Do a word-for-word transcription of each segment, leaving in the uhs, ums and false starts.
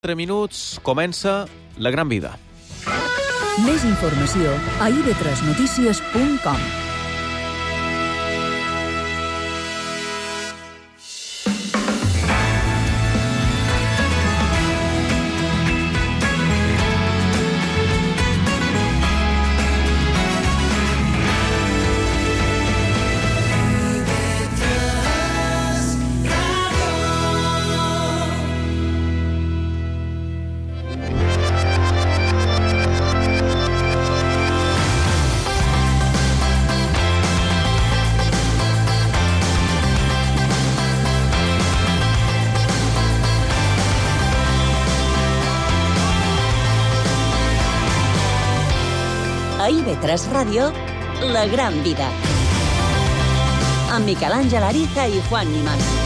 quatre minuts, comença La Gran Vida. Més informació a i ve tres notícies punt com. A i ve tres Ràdio, La Gran Vida. Amb Miquel Àngel Ariza i Juan Nimas.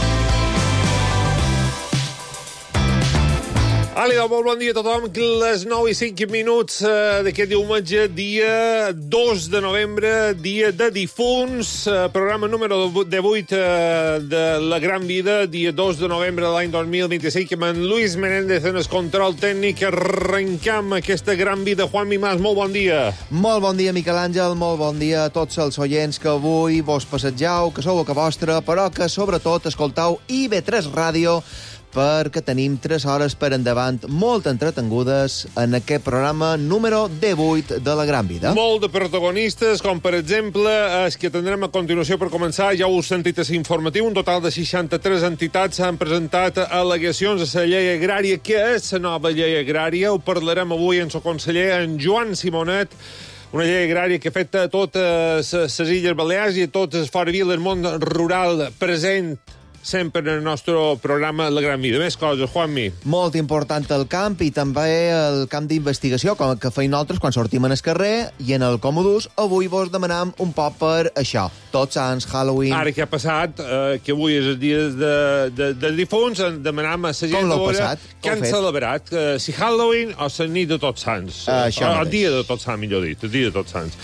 Àlida, molt bon dia a tothom. Les nou i cinc minuts eh, d'aquest diumenge, dia dos de novembre, dia de difunts, eh, programa número divuit eh, de La Gran Vida, dia dos de novembre de l'any dos mil vint-i-cinc, amb en Luis Menéndez en el control tècnic. Arrencam aquesta Gran Vida. Juan Nimas, molt bon dia. Molt bon dia, Miquel Àngel, molt bon dia a tots els oients que avui vos passegeu, que sou a casa vostra, però que sobretot escoltau i ve tres Ràdio, perquè tenim tres hores per endavant molt entretengudes en aquest programa número divuit de La Gran Vida. Molt de protagonistes, com per exemple els que tindrem a continuació per començar. Ja ho heu sentit a l'informatiu, un total de seixanta-tres entitats han presentat al·legacions a la llei agrària. Què és la nova llei agrària? Ho parlarem avui amb el conseller, en Joan Simonet. Una llei agrària que afecta a totes les Illes Balears i a totes les fora viles, el món rural present sempre en el nostre programa La Gran Vida. Més coses, Juanmi. Molt important el camp i també el camp d'investigació, com que feim nosaltres quan sortim en el carrer i en el Comodús. Avui vos demanam un poc per això. Tots Sants, Halloween... Ara que ha passat, eh, que avui és el dia de, de, de difunts, demanam a la gent a veure què han fet? celebrat. Eh, si Halloween o la nit de Tots Sants. Uh, això o el dia de Tots Sants, millor dit. El dia de Tots Sants.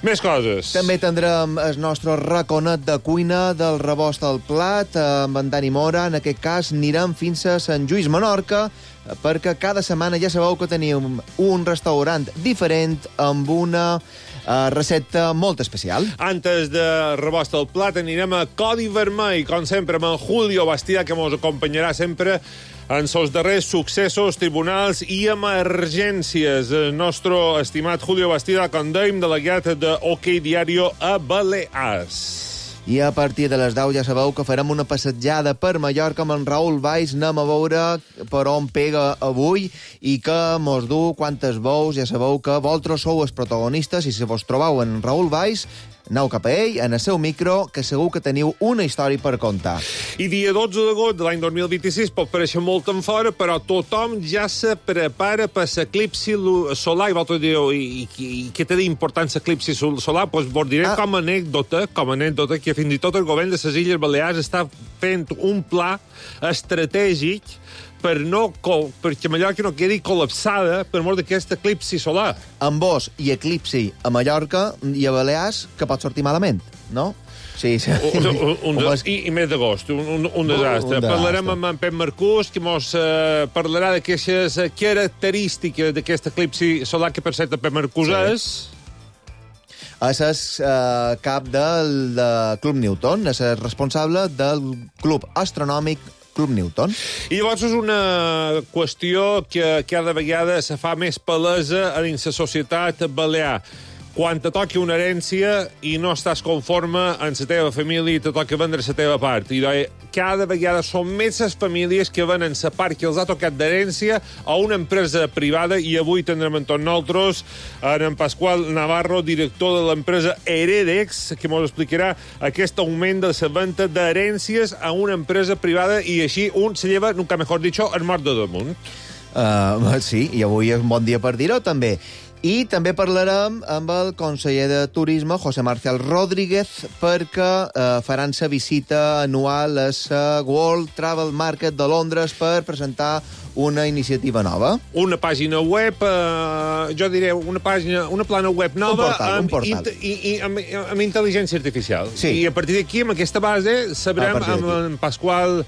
Més coses. També tindrem el nostre raconet de cuina del rebost al plat, amb en Dani Mora. En aquest cas anirem fins a Sant Lluís, Menorca, perquè cada setmana ja sabeu que tenim un restaurant diferent amb una uh, recepta molt especial. Antes de rebost al plat anirem a Codi Vermell, com sempre, amb en Julio Bastida, que ens acompanyarà sempre en els darrers successos, tribunals i emergències. El nostre estimat Julio Bastida, com dèiem, delegat de OK Diario a Balears. I a partir de les deu ja sabeu que farem una passejada per Mallorca amb en Raül Valls. Anem a veure per on pega avui i que mos du quantes veus. Ja sabeu que vosaltres sou els protagonistes i si vos trobeu en Raül Valls, aneu cap a ell, en el seu micro, que segur que teniu una història per contar. I dia dotze d'agost de l'any dos mil vint-i-sis pot parèixer molt en fora, però tothom ja se prepara per l'eclipsi solar. I vosaltres direu, i, i, i què té d'important l'eclipsi solar? Doncs pues vos diré ah. com a anècdota, com a anècdota, que fins i tot el govern de les Illes Balears està fent un pla estratègic per no, perquè Mallorca no quedi col·lapsada per mort d'aquest eclipsi solar. Amb vos i eclipsi a Mallorca i a Balears, que pot sortir malament, no? Sí, sí. Un, un, un de, i, I mes d'agost, un, un, un desastre. Un Parlarem amb en Pep Marcús, que mos uh, parlarà d'aquestes característiques d'aquest eclipsi solar, que per cert Pep Marcús sí. és... És el uh, cap del de Club Newton, és el responsable del Club Astronòmic Club Newton. I llavors és una qüestió que cada vegada se fa més palesa en la societat balear. Quan te toqui una herència i no estàs conforme en la teva família i te toca vendre la teva part. I cada vegada són més les famílies que venen la part que els ha tocat d'herència a una empresa privada, i avui tindrem amb tots nosaltres en Pasqual Navarro, director de l'empresa Heredex, que ens explicarà aquest augment de la venda d'herències a una empresa privada, i així un se lleva, nunca mejor dicho, el mort de damunt. Uh, sí, i avui és un bon dia per dir-ho, també. I també parlarem amb el conseller de Turisme, José Marcial Rodríguez, perquè eh, faran la visita anual a la World Travel Market de Londres per presentar una iniciativa nova. Una pàgina web, eh, jo diré, una pàgina, una plana web nova un portal, amb, un portal. I, i, amb, amb intel·ligència artificial. Sí. I a partir d'aquí, amb aquesta base, sabrem amb en Pasqual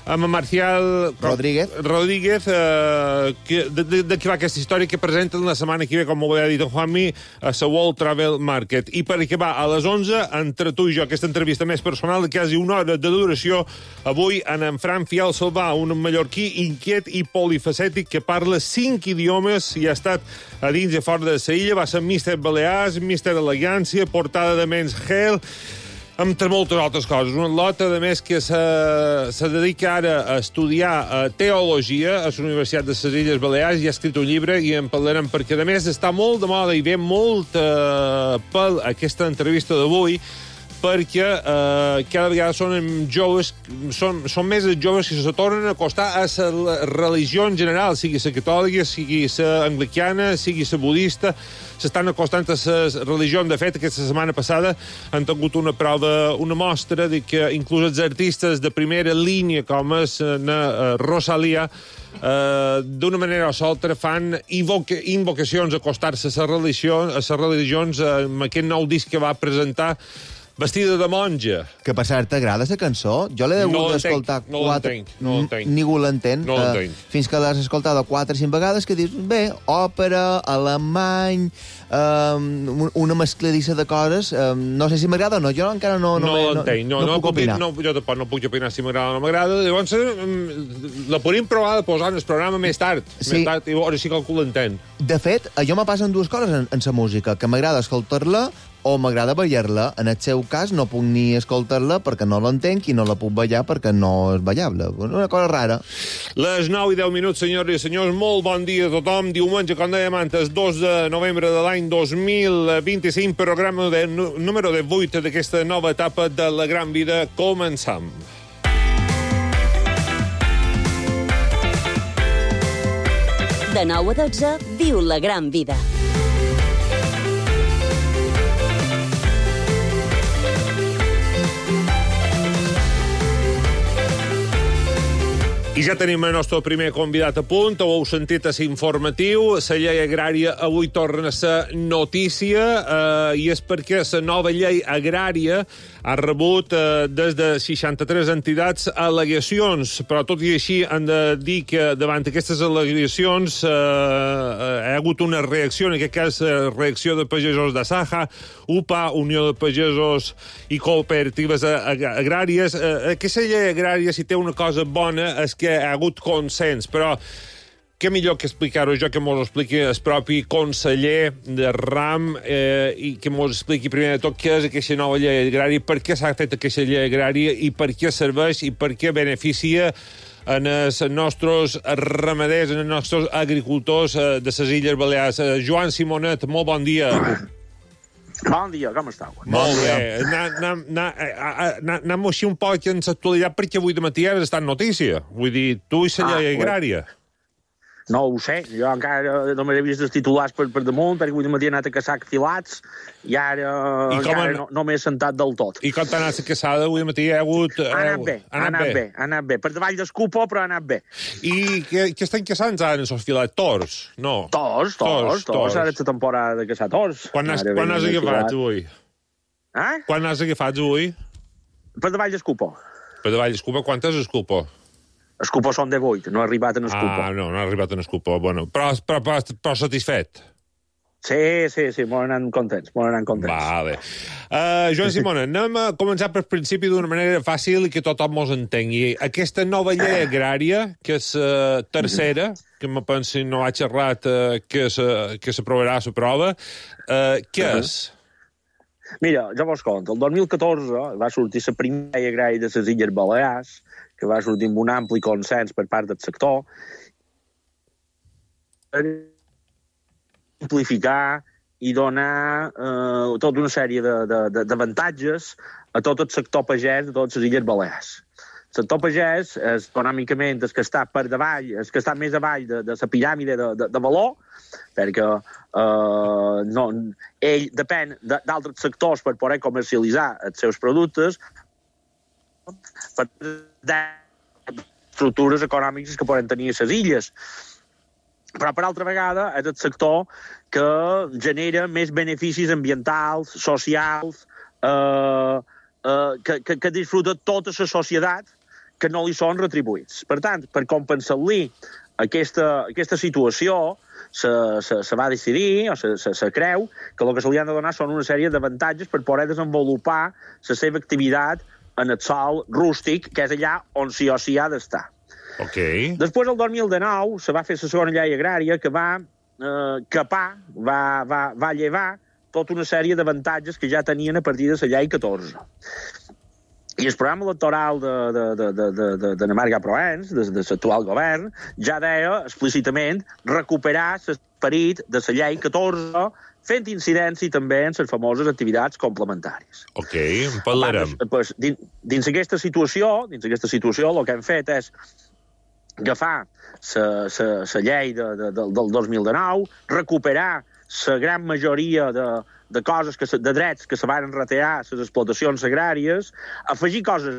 amb en Marcial Rodríguez, Rodríguez eh, que, de, de, de què va aquesta història que presenten la setmana que ve, com ho ha dit en Juanmi, a la World Travel Market. I per acabar, a les onze, entre tu i jo, aquesta entrevista més personal de quasi una hora de duració, avui en en Fran Fial Salvà, un mallorquí inquiet i polifacètic que parla cinc idiomes i ha estat a dins i fora de la illa, va ser míster Balears, míster Elegància, portada de Men's Health, entre moltes altres coses. Una lota, a més, que se, se dedica ara a estudiar uh, teologia a la Universitat de les Illes Balears i ha escrit un llibre i en parlarem perquè, a més, està molt de moda i ve molt uh, pel aquesta entrevista d'avui perquè eh, cada vegada són joves, són, són més els joves que se tornen a acostar a la religió en general, sigui la catòlica, sigui la anglicana, sigui la budista, s'estan acostant a les religions. De fet, aquesta setmana passada han tingut una prova, una mostra de que inclús els artistes de primera línia, com és na Rosalia, Uh, d'una manera o l'altra fan invoca invocacions a acostar-se a les religions, a les religions uh, amb aquest nou disc que va presentar vestida de monja. Que per cert, t'agrada la cançó? Jo l'he hagut no d'escoltar no quatre... No l'entenc. Ningú l'entén. No l'entenc. Uh, fins que l'has escoltat quatre o cinc vegades que dius, bé, òpera, alemany, um, una mescladissa de coses. Um, no sé si m'agrada o no. Jo encara no... No, no l'entenc. No, no, no, no puc opinar. No, jo tampoc no puc opinar si m'agrada o no m'agrada. Llavors, la podríem provar de posar en el programa més tard. Sí. Més tard, i ara sí que ho l'entenc. De fet, jo me passen dues coses en, en la música, que m'agrada escoltar-la o m'agrada ballar-la. En el seu cas no puc ni escoltar-la perquè no l'entenc i no la puc ballar perquè no és ballable. Una cosa rara. Les nou i deu minuts, senyores i senyors. Molt bon dia a tothom. Diumenge, com dèiem antes, dos de novembre de l'any dos mil vint-i-cinc, programa de, número de vuit d'aquesta nova etapa de La Gran Vida. Començam. De nou a dotze, viu La Gran Vida. I ja tenim el nostre primer convidat a punt, ho heu sentit a l'informatiu, la llei agrària avui torna a ser notícia, eh, i és perquè la nova llei agrària ha rebut eh, des de seixanta-tres entitats al·legacions, però tot i així han de dir que davant aquestes al·legacions eh, hi ha hagut una reacció, en aquest cas eh, reacció de pagesos de Saja, U P A, Unió de Pagesos i Cooperatives Agràries. Eh, aquesta llei agrària, si té una cosa bona, és que hi ha hagut consens, però què millor que explicar-ho jo que mos expliqui el propi conseller de RAM eh, i que mos expliqui primer de tot què és aquesta nova llei agrària, per què s'ha fet aquesta llei agrària i per què serveix i per què beneficia en els nostres ramaders, en els nostres agricultors eh, de les Illes Balears. Eh, Joan Simonet, molt bon dia. Bon dia, com estàu? Molt bé. Anem així un poc en l'actualitat perquè avui de matí has estat notícia. Vull dir, tu i la llei agrària. No ho sé, jo encara només he vist els titulars per, per damunt, perquè avui de matí he anat a caçar filats i ara I encara han... no, no m'he sentat del tot. I com t'ha anat la caçada avui de matí? Ha hagut... Ha anat bé, ha anat bé, ha anat bé. Per davall d'escupo, però ha anat bé. I què, què estan caçant ara en els filats? Tors? No. Tors, tors, tors. Ara és la temporada de caçar tors. Quan has, quan has agafat avui? Eh? Quan has agafat avui? Per davall d'escupo. Per davall d'escupo? Quantes escupo? Escupo són de vuit, no ha arribat en escupo. Ah, no, no ha arribat en escupo. Bueno, però, però, però, però satisfet? Sí, sí, sí, molt anant contents, molt anant contents. Vale. Uh, Joan Simona, anem a començar per principi d'una manera fàcil i que tothom mos entengui. Aquesta nova llei agrària, que és uh, tercera, que me pensi no ha xerrat uh, que s'aprovarà a la prova, uh, què és? Mira, jo vos conto, el dos mil catorze va sortir la primera llei agrària de les Illes Balears, que va sortir amb un ampli consens per part del sector, per simplificar i donar eh, tota una sèrie d'avantatges a tot el sector pagès de totes les Illes Balears. El sector pagès és econòmicament el que està per davall, el que està més avall de, de la piràmide de, de, de valor, perquè eh, no, ell depèn d'altres sectors per poder comercialitzar els seus productes, per estructures econòmiques que poden tenir les illes. Però, per altra vegada, és el sector que genera més beneficis ambientals, socials, eh, eh, que, que, que disfruta tota la societat que no li són retribuïts. Per tant, per compensar-li aquesta, aquesta situació, se, se, se va decidir, o se, se, se creu, que el que se li han de donar són una sèrie d'avantatges per poder desenvolupar la seva activitat en el sòl rústic, que és allà on sí o sí ha d'estar. Okay. Després, el dos mil dinou, se va fer la segona llei agrària que va eh, capar, va, va, va llevar tota una sèrie d'avantatges que ja tenien a partir de la llei catorze. I el programa electoral de, de, de, de, de, de, de Marga Proens, de, de l'actual govern, ja deia explícitament recuperar l'esperit de la llei catorze, fent incidència també en les famoses activitats complementàries. Ok, en parlarem. Pues, dins, dins aquesta situació, dins aquesta situació, el que hem fet és agafar la llei de, de, de, del dos mil dinou, recuperar la gran majoria de, de coses, que, de drets que se van retallar a les explotacions agràries, afegir coses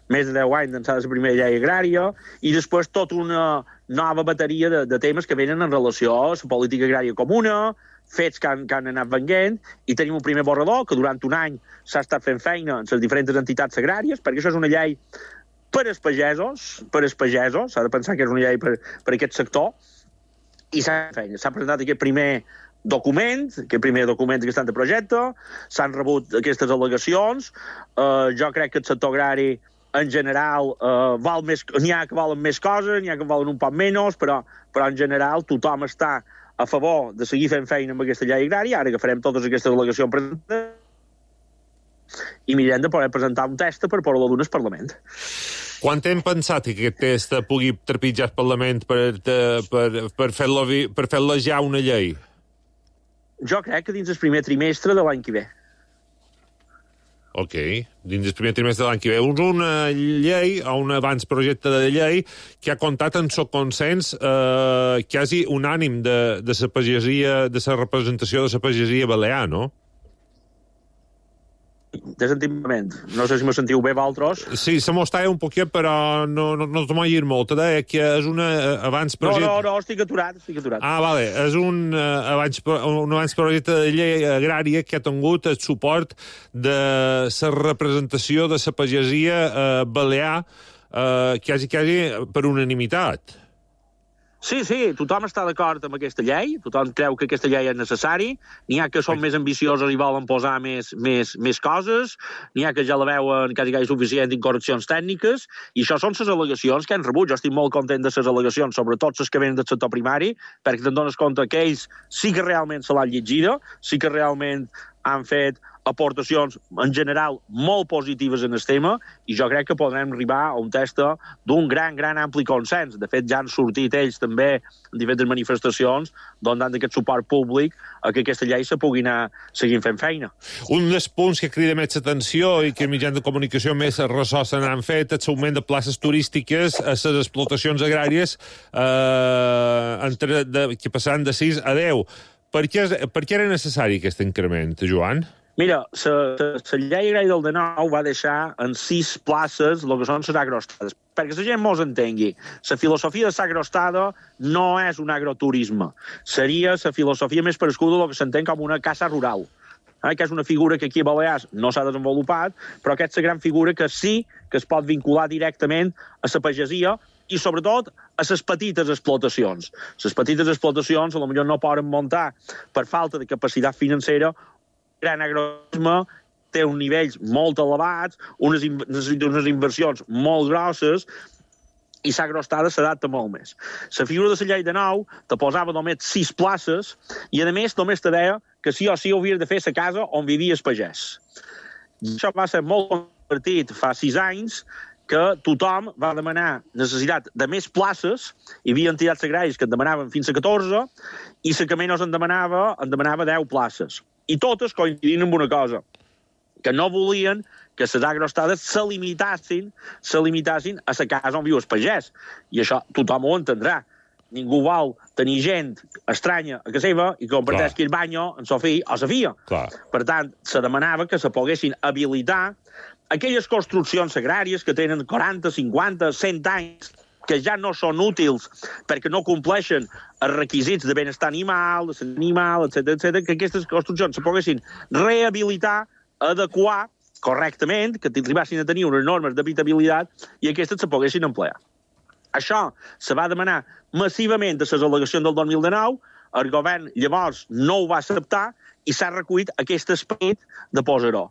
més de deu anys d'ençà de la primera llei agrària, i després tota una nova bateria de, de temes que venen en relació a la política agrària comuna, fets que han, que han anat venguent, i tenim un primer borrador que durant un any s'ha estat fent feina en les diferents entitats agràries, perquè això és una llei per als pagesos, per als pagesos, s'ha de pensar que és una llei per, per aquest sector, i s'ha feina. S'ha presentat aquest primer document, aquest primer document d'aquest projecte, s'han rebut aquestes al·legacions, eh, jo crec que el sector agrari en general eh, val més, n'hi ha que valen més coses, n'hi ha que valen un poc menys, però, però en general tothom està a favor de seguir fent feina amb aquesta llei agrària, ara que farem totes aquestes al·legacions presentades, i mirem de poder presentar un test per poder-lo donar al Parlament. Quan hem pensat que aquest test pugui trepitjar el Parlament per, per, per fer-lo per fer-lo ja una llei? Jo crec que dins el primer trimestre de l'any que ve. Ok, dins el primer trimestre de l'any que ve. És una llei, o un abans-projecte de llei, que ha comptat en el consens eh, quasi unànim de, de la pagesia, de la representació de la pagesia balear, no? Desentiment. No sé si me sentiu bé, vosaltres. Sí, se m'estava un poquet, però no, no, no t'ho llegir molt. Deia que és una abans projecte... No, no, no, estic aturat, estic aturat. Ah, vale. És un, uh, abans, un abans projecte de llei agrària que ha tingut el suport de la representació de la pagesia uh, balear uh, quasi, quasi per unanimitat. Sí, sí, tothom està d'acord amb aquesta llei, tothom creu que aquesta llei és necessari, n'hi ha que són més ambiciosos i volen posar més, més, més coses, n'hi ha que ja la veuen quasi quasi suficient en correccions tècniques, i això són les al·legacions que han rebut. Jo estic molt content de les al·legacions, sobretot les que venen del sector primari, perquè te'n dones compte que ells sí que realment se l'han llegida, sí que realment han fet aportacions en general molt positives en el tema, i jo crec que podrem arribar a un test d'un gran, gran ampli consens. De fet, ja han sortit ells també en diferents manifestacions donant aquest suport públic a que aquesta llei se pugui anar seguint fent feina. Un dels punts que crida més atenció i que els mitjans de comunicació més ressò se n'han fet és l'augment de places turístiques a les explotacions agràries eh, entre, de, que passaran de sis a deu. Per què, per què era necessari aquest increment, Joan? Mira, la llei agrària del dinou va deixar en sis places el que són les agrostades. Perquè la gent mos entengui, la filosofia de l'agrostada no és un agroturisme. Seria la filosofia més parescuda del que s'entén com una casa rural, eh, que és una figura que aquí a Balears no s'ha desenvolupat, però que és la gran figura que sí que es pot vincular directament a la pagesia i, sobretot, a les petites explotacions. Les petites explotacions potser no poden muntar per falta de capacitat financera. Gran agroturisme té uns nivells molt elevats, unes, unes inversions molt grosses, i l'agrostada s'adapta molt més. La figura de la llei de nou te posava només sis places i, a més, només te deia que sí o sí hauries de fer la casa on vivia el pagès. Això va ser molt compartit fa sis anys, que tothom va demanar necessitat de més places, hi havia entitats agràries que en demanaven fins a catorze, i la que menys en demanava, en demanava deu places. I totes coincidint amb una cosa, que no volien que les agrostades se limitassin, se limitassin a la casa on viu el pagès. I això tothom ho entendrà. Ningú vol tenir gent estranya a casa seva i que comparteixi el banyo en sa fill o sa filla. Clar. Per tant, se demanava que se poguessin habilitar aquelles construccions agràries que tenen quaranta, cinquanta, cent anys, que ja no són útils perquè no compleixen els requisits de benestar animal, de salut animal, etcètera, etcètera, que aquestes construccions se poguessin rehabilitar, adequar correctament, que arribassin a tenir unes normes d'habitabilitat i aquestes se poguessin emplear. Això se va demanar massivament a les al·legacions del dos mil dinou, el govern llavors no ho va acceptar i s'ha recollit aquest esperit de posar-ho.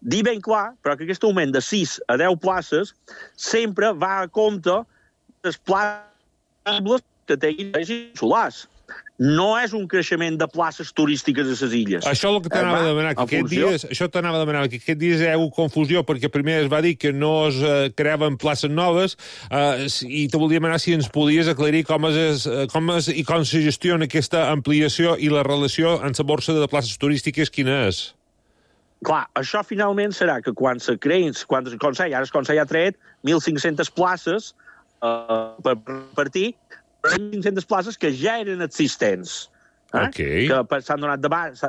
Dir ben clar, però, que aquest augment de sis a deu places sempre va a compte dels places que tinguin solars. No és un creixement de places turístiques a les illes. Això és el que t'anava a demanar, que aquest dies, això t'anava a demanar, que aquest dies hi ha hagut confusió, perquè primer es va dir que no es eh, creaven places noves, eh, i te volia demanar si ens podies aclarir com és, com és i com se gestiona aquesta ampliació i la relació amb la borsa de places turístiques, quina és? Clar, això finalment serà que quan se creïn, quan el Consell, ara el Consell ha tret mil cinc-centes places eh, per partir, cinc-centes places que ja eren existents. Eh? Okay. Que s'han donat de base.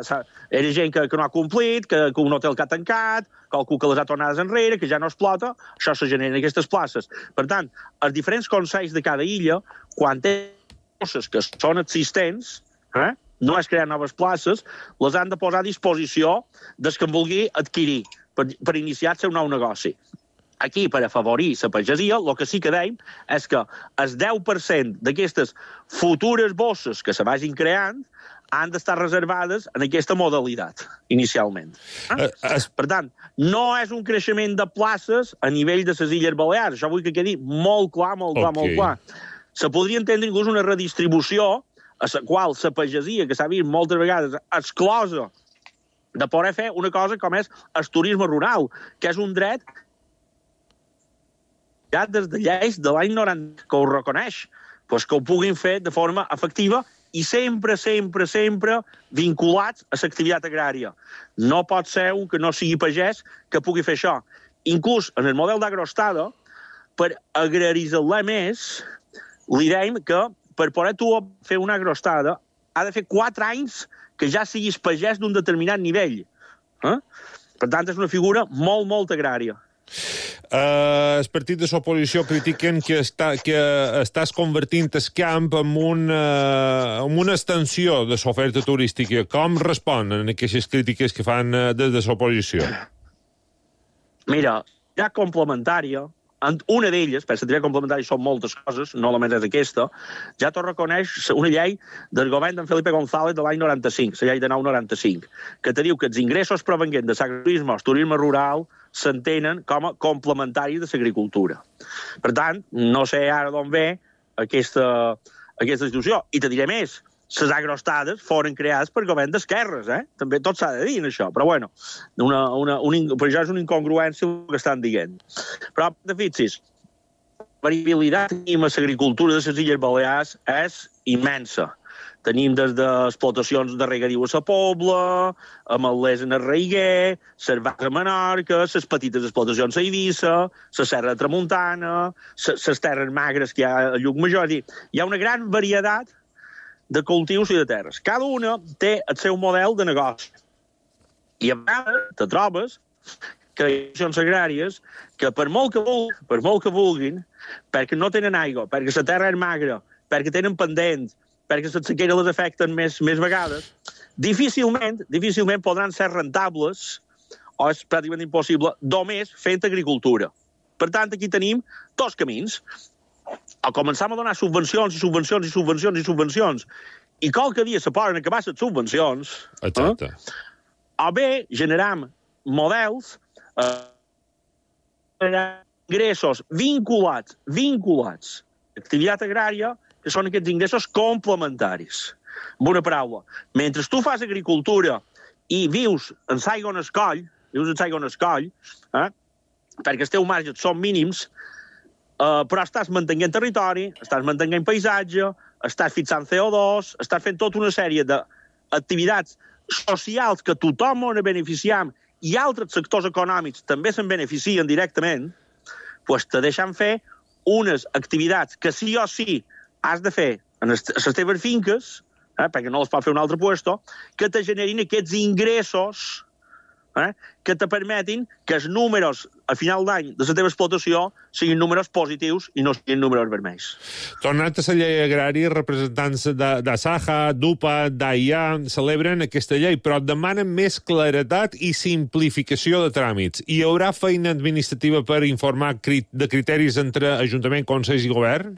Era gent que, que no ha complit, que, que un hotel que ha tancat, qualcú que les ha tornades enrere, que ja no explota, això se generen aquestes places. Per tant, els diferents consells de cada illa, quan tenen coses que són existents, eh? no és crear noves places, les han de posar a disposició dels que en vulgui adquirir per, per iniciar el seu nou negoci. Aquí, per afavorir la pagesia, el que sí que deim és que el deu per cent d'aquestes futures bosses que se vagin creant han d'estar reservades en aquesta modalitat, inicialment. Eh? Uh, es... Per tant, no és un creixement de places a nivell de les Illes Balears. Això vull que quedi molt clar, molt clar, okay. molt clar. Se podria entendre inclús una redistribució a la qual la pagesia, que s'ha vist moltes vegades exclosa de poder fer una cosa com és el turisme rural, que és un dret ja des de lleis de l'any noranta que ho reconeix, doncs que ho puguin fer de forma efectiva i sempre, sempre, sempre vinculats a l'activitat agrària. No pot ser un que no sigui pagès que pugui fer això. Inclús en el model d'agroestada, per agraritzar-la més, li deim que per poder tu fer una agroestada ha de fer quatre anys que ja siguis pagès d'un determinat nivell. Eh? Per tant, és una figura molt, molt agrària. Uh, el partit de l'oposició critiquen que, està, que estàs convertint el camp en, un, uh, en una extensió de l'oferta turística. Com responen a aquestes crítiques que fan uh, des de l'oposició? Mira, ja complementària, una d'elles, per l'activitat complementària són moltes coses, no només és aquesta, ja t'ho reconeix una llei del govern d'en Felipe González de l'any noranta-cinc, la llei de nou noranta-cinc, que te diu que els ingressos provenents de l'agroturisme o el turisme rural s'entenen com a complementaris de l'agricultura. Per tant, no sé ara d'on ve aquesta, aquesta institució. I te diré més, les agroestades foren creades per govern d'esquerres, eh? També tot s'ha de dir en això, però bueno, una, una, un, per això és una incongruència el que estan dient. Però, de fixis, la variabilitat que tenim a l'agricultura de les Illes Balears és immensa. Tenim des d'explotacions de regadiu a la Pobla, ametllers en el Reiguer, les vaques a Menorca, les petites explotacions a Eivissa, la Serra de Tramuntana, les terres magres que hi ha a Llucmajor. Hi ha una gran varietat de cultius i de terres. Cada una té el seu model de negoci. I a vegades te trobes que hi ha accions agràries que per molt que vulguin, per molt que vulguin, perquè no tenen aigua, perquè la terra és magra, perquè tenen pendents, perquè la sequera les afecten més, més vegades, difícilment, difícilment podran ser rentables, o és pràcticament impossible, només fent agricultura. Per tant, aquí tenim dos camins. O començam a donar subvencions i subvencions i subvencions i subvencions i qualque dia se poden acabar les subvencions. Exacte. Eh? O bé generam models eh, ingressos vinculats, vinculats a l'activitat agrària, que són aquests ingressos complementaris. Amb una paraula, mentre tu fas agricultura i vius en l'aigua on es coll, vius en l'aigua on es coll, eh, perquè els teus marges són mínims, Uh, però estàs mantenint territori, estàs mantenint paisatge, estàs fixant C O dos, estàs fent tota una sèrie d'activitats socials que tothom en beneficiem i altres sectors econòmics també se'n beneficien directament, doncs te deixen fer unes activitats que sí o sí has de fer en les teves finques, eh, perquè no les pot fer un altre puesto, que te generin aquests ingressos eh, que te permetin que els números a final d'any de la teva explotació siguin números positius i no siguin números vermells. Tornant a la llei agrària, representants d'Asaja, d'UPA, d'AIA celebren aquesta llei, però demanen més claretat i simplificació de tràmits. Hi haurà feina administrativa per informar de criteris entre Ajuntament, Consells i Govern?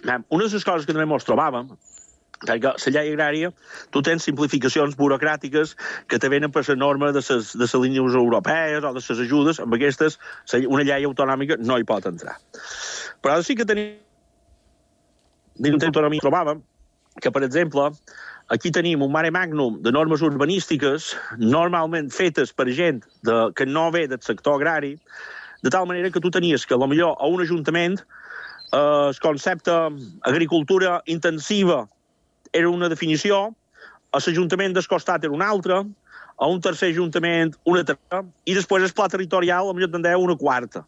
Una de les coses que també ens trobàvem, perquè la llei agrària, tu tens simplificacions burocràtiques que te venen per la norma de les de línies europees o de les ajudes, amb aquestes una llei autonòmica no hi pot entrar. Però sí que tenim dins d'autonomia trobàvem que, per exemple, aquí tenim un mare magnum de normes urbanístiques normalment fetes per gent de, que no ve del sector agrari, de tal manera que tu tenies que, potser, a un ajuntament eh, el concepte agricultura intensiva era una definició, a l'Ajuntament del costat era una altra, a un tercer ajuntament una tercera, i després el pla territorial potser tindrà una quarta.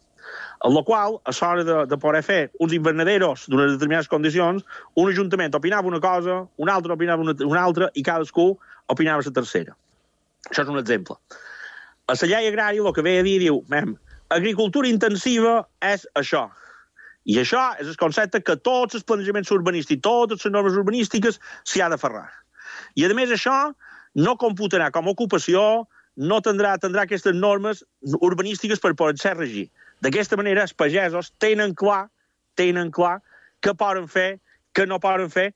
En la qual, a l'hora de, de poder fer uns invernaderos d'unes determinades condicions, un ajuntament opinava una cosa, un altre opinava una, una altra, i cadascú opinava la tercera. Això és un exemple. A la llei agrària el que ve a dir, diu, mem, agricultura intensiva és això. I això és el concepte que tots els planejaments urbanístics, totes les normes urbanístiques s'hi ha d'aferrar. I, a més, això no computarà com a ocupació, no tindrà, tindrà aquestes normes urbanístiques per poder ser regir. D'aquesta manera, els pagesos tenen clar, tenen clar què poden fer, què no poden fer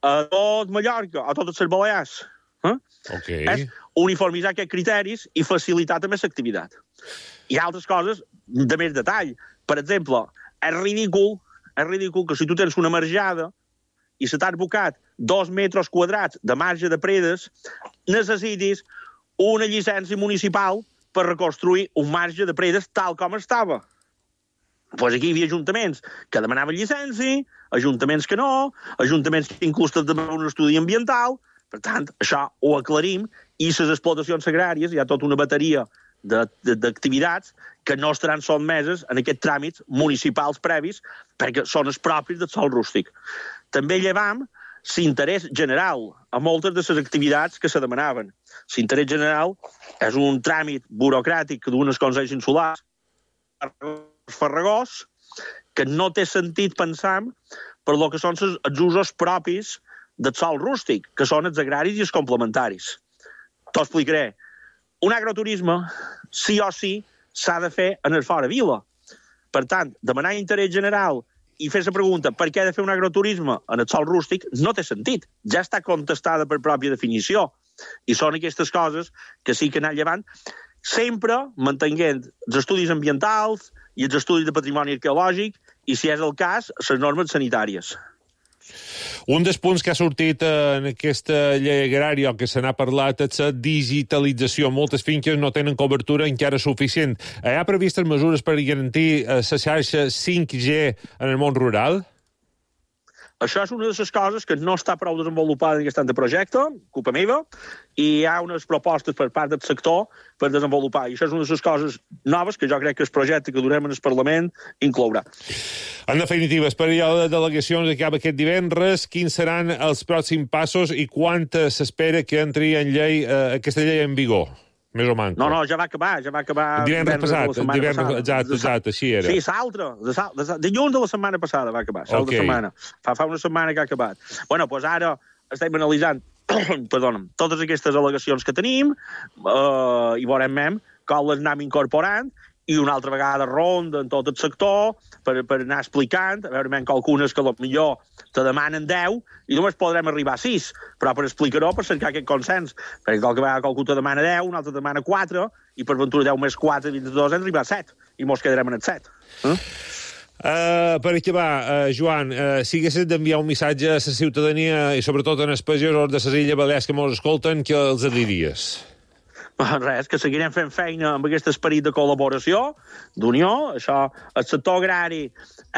a tot Mallorca, a totes les Balears. Eh? Okay. És uniformitzar aquests criteris i facilitar també l'activitat. Hi ha altres coses de més detall. Per exemple, és ridícul, és ridícul que si tu tens una marjada i se t'ha abocat dos metres quadrats de marge de predes, necessitis una llicència municipal per reconstruir un marge de predes tal com estava. Doncs aquí hi havia ajuntaments que demanaven llicència, ajuntaments que no, ajuntaments que inclús demanaven un estudi ambiental. Per tant, això ho aclarim, i les explotacions agràries, hi ha tota una bateria d'activitats que no estaran sotmeses en aquests tràmits municipals previs perquè són els propis del sòl rústic. També llevam l'interès general a moltes de les activitats que se demanaven. L'interès general és un tràmit burocràtic que duen els consells insulars farragós que no té sentit pensar per lo que són els usos propis del sòl rústic, que són els agraris i els complementaris. T'ho explicaré. Un agroturisme, sí o sí, s'ha de fer en el fora vila. Per tant, demanar interès general i fer la pregunta per què he de fer un agroturisme en el sòl rústic no té sentit. Ja està contestada per pròpia definició. I són aquestes coses que sí que anar llevant, sempre mantenint els estudis ambientals i els estudis de patrimoni arqueològic i, si és el cas, les normes sanitàries. Un dels punts que ha sortit en aquesta llei agrària o que se n'ha parlat és la digitalització. Moltes finques no tenen cobertura encara suficient. Hi ha previstes mesures per garantir la xarxa cinc G en el món rural? Això és una de les coses que no està prou desenvolupada en aquest projecte, culpa meva, i hi ha unes propostes per part del sector per desenvolupar. I això és una de les coses noves que jo crec que el projecte que durem en el Parlament inclourà. En definitiva, el període de delegacions acaba aquest divendres. Quins seran els pròxims passos i quan s'espera que entri en llei, eh, aquesta llei en vigor? Més o manco. No, no, ja va acabar, ja va acabar... Divendres passat, divendres, exacte, exacte, així era. Sí, l'altre, dilluns de la setmana passada va acabar, l'altra okay. setmana. Fa, fa una setmana que ha acabat. Bueno, doncs ara estem analitzant, perdona, totes aquestes al·legacions que tenim eh, i veurem mem com les anem incorporant i una altra vegada ronda en tot el sector per, per anar explicant, a veure, menys algunes que potser te demanen deu i només podrem arribar a sis, però per explicar-ho, per cercar aquest consens, perquè qualque vegada qualcú te demana deu, un altre te demana quatre, i per ventura deu més quatre, vint-i-dos, hem d'arribar a set, i mos quedarem en el set. Eh? Uh, per acabar, uh, Joan, uh, si haguessis d'enviar un missatge a la ciutadania i sobretot en els pagesos de les Illes Balears que mos escolten, què els diries? Res, que seguirem fent feina amb aquest esperit de col·laboració, d'unió. Això, el sector agrari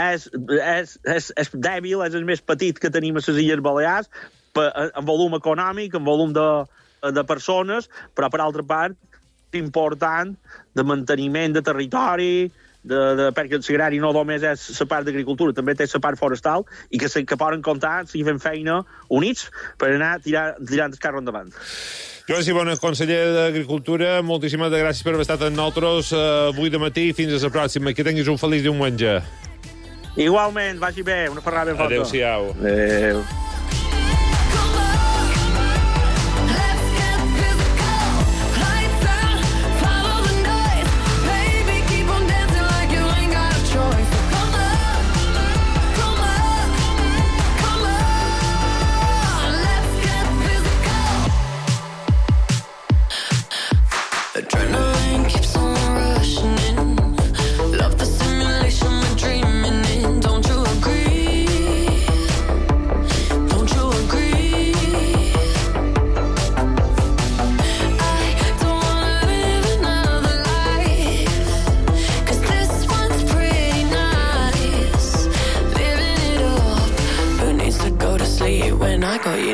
és, és, és, és dèbil, és el més petit que tenim a les Illes Balears, en volum econòmic, en volum de, de persones, però per altra part, important de manteniment de territori, de, de, perquè l'agrari no només és la part d'agricultura, també té la part forestal, i que, se, que poden comptar, si fem feina, units, per anar tirar, tirant el carro endavant. Joan Sibona, conseller d'Agricultura, moltíssimes gràcies per haver estat amb nosaltres uh, avui de matí i fins a la pròxima. Que tinguis un feliç diumenge. Igualment, vagi bé, una ferrada ben forta. Adéu-siau. Adéu.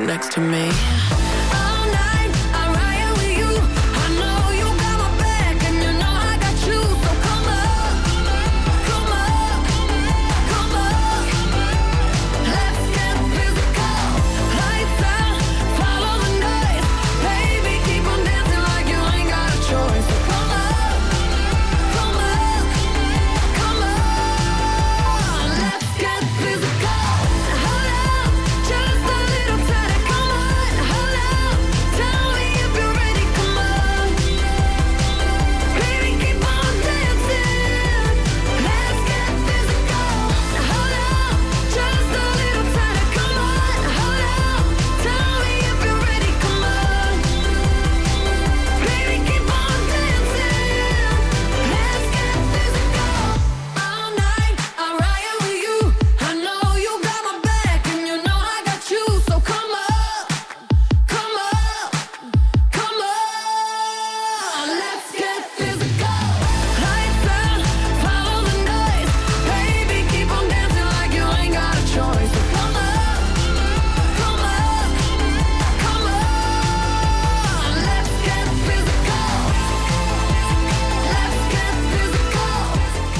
Next to me.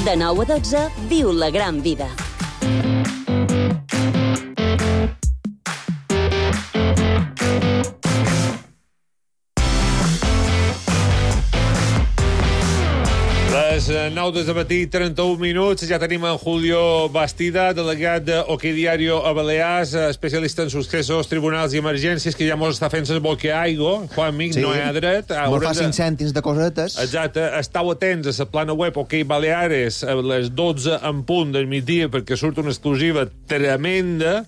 De nou a dotze, viu la gran vida. Les nou de matí, trenta-un minuts. Ja tenim en Julio Bastida, delegat d'Ok Diario a Balears, especialista en successos, tribunals i emergències, que ja mos està fent el boqueaigo. Juan Mic, sí. No hi ha dret. Mos fa cinc cèntims de cosetes. Exacte. Estau atents a la plana web Ok Baleares a les dotze en punt del migdia, perquè surt una exclusiva tremenda.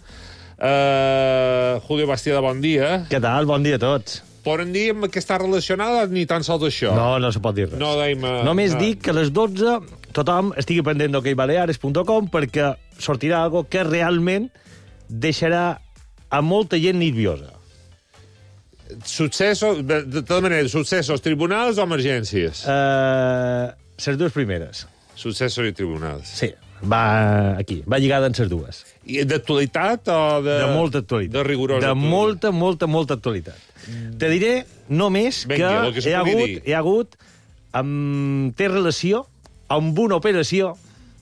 Uh, Julio Bastida, bon dia. Què tal? Bon dia a tots. Poden dir que està relacionada ni tan sols això? No, no se pot dir res. No deim, uh, Només no. dic que a les dotze tothom estigui pendent d'ok baleares punt com perquè sortirà algo que realment deixarà a molta gent nerviosa. Successos, de, de tota manera, successos, tribunals o emergències? Uh, les dues primeres. Successos i tribunals. Sí, va aquí, va lligada en les dues. I d'actualitat o de... De molta actualitat. De rigorosa. De molta, molta, molta actualitat. Mm. Te diré només Venga, que, que hi ha hagut, dir. hi ha hagut um, té relació amb una operació,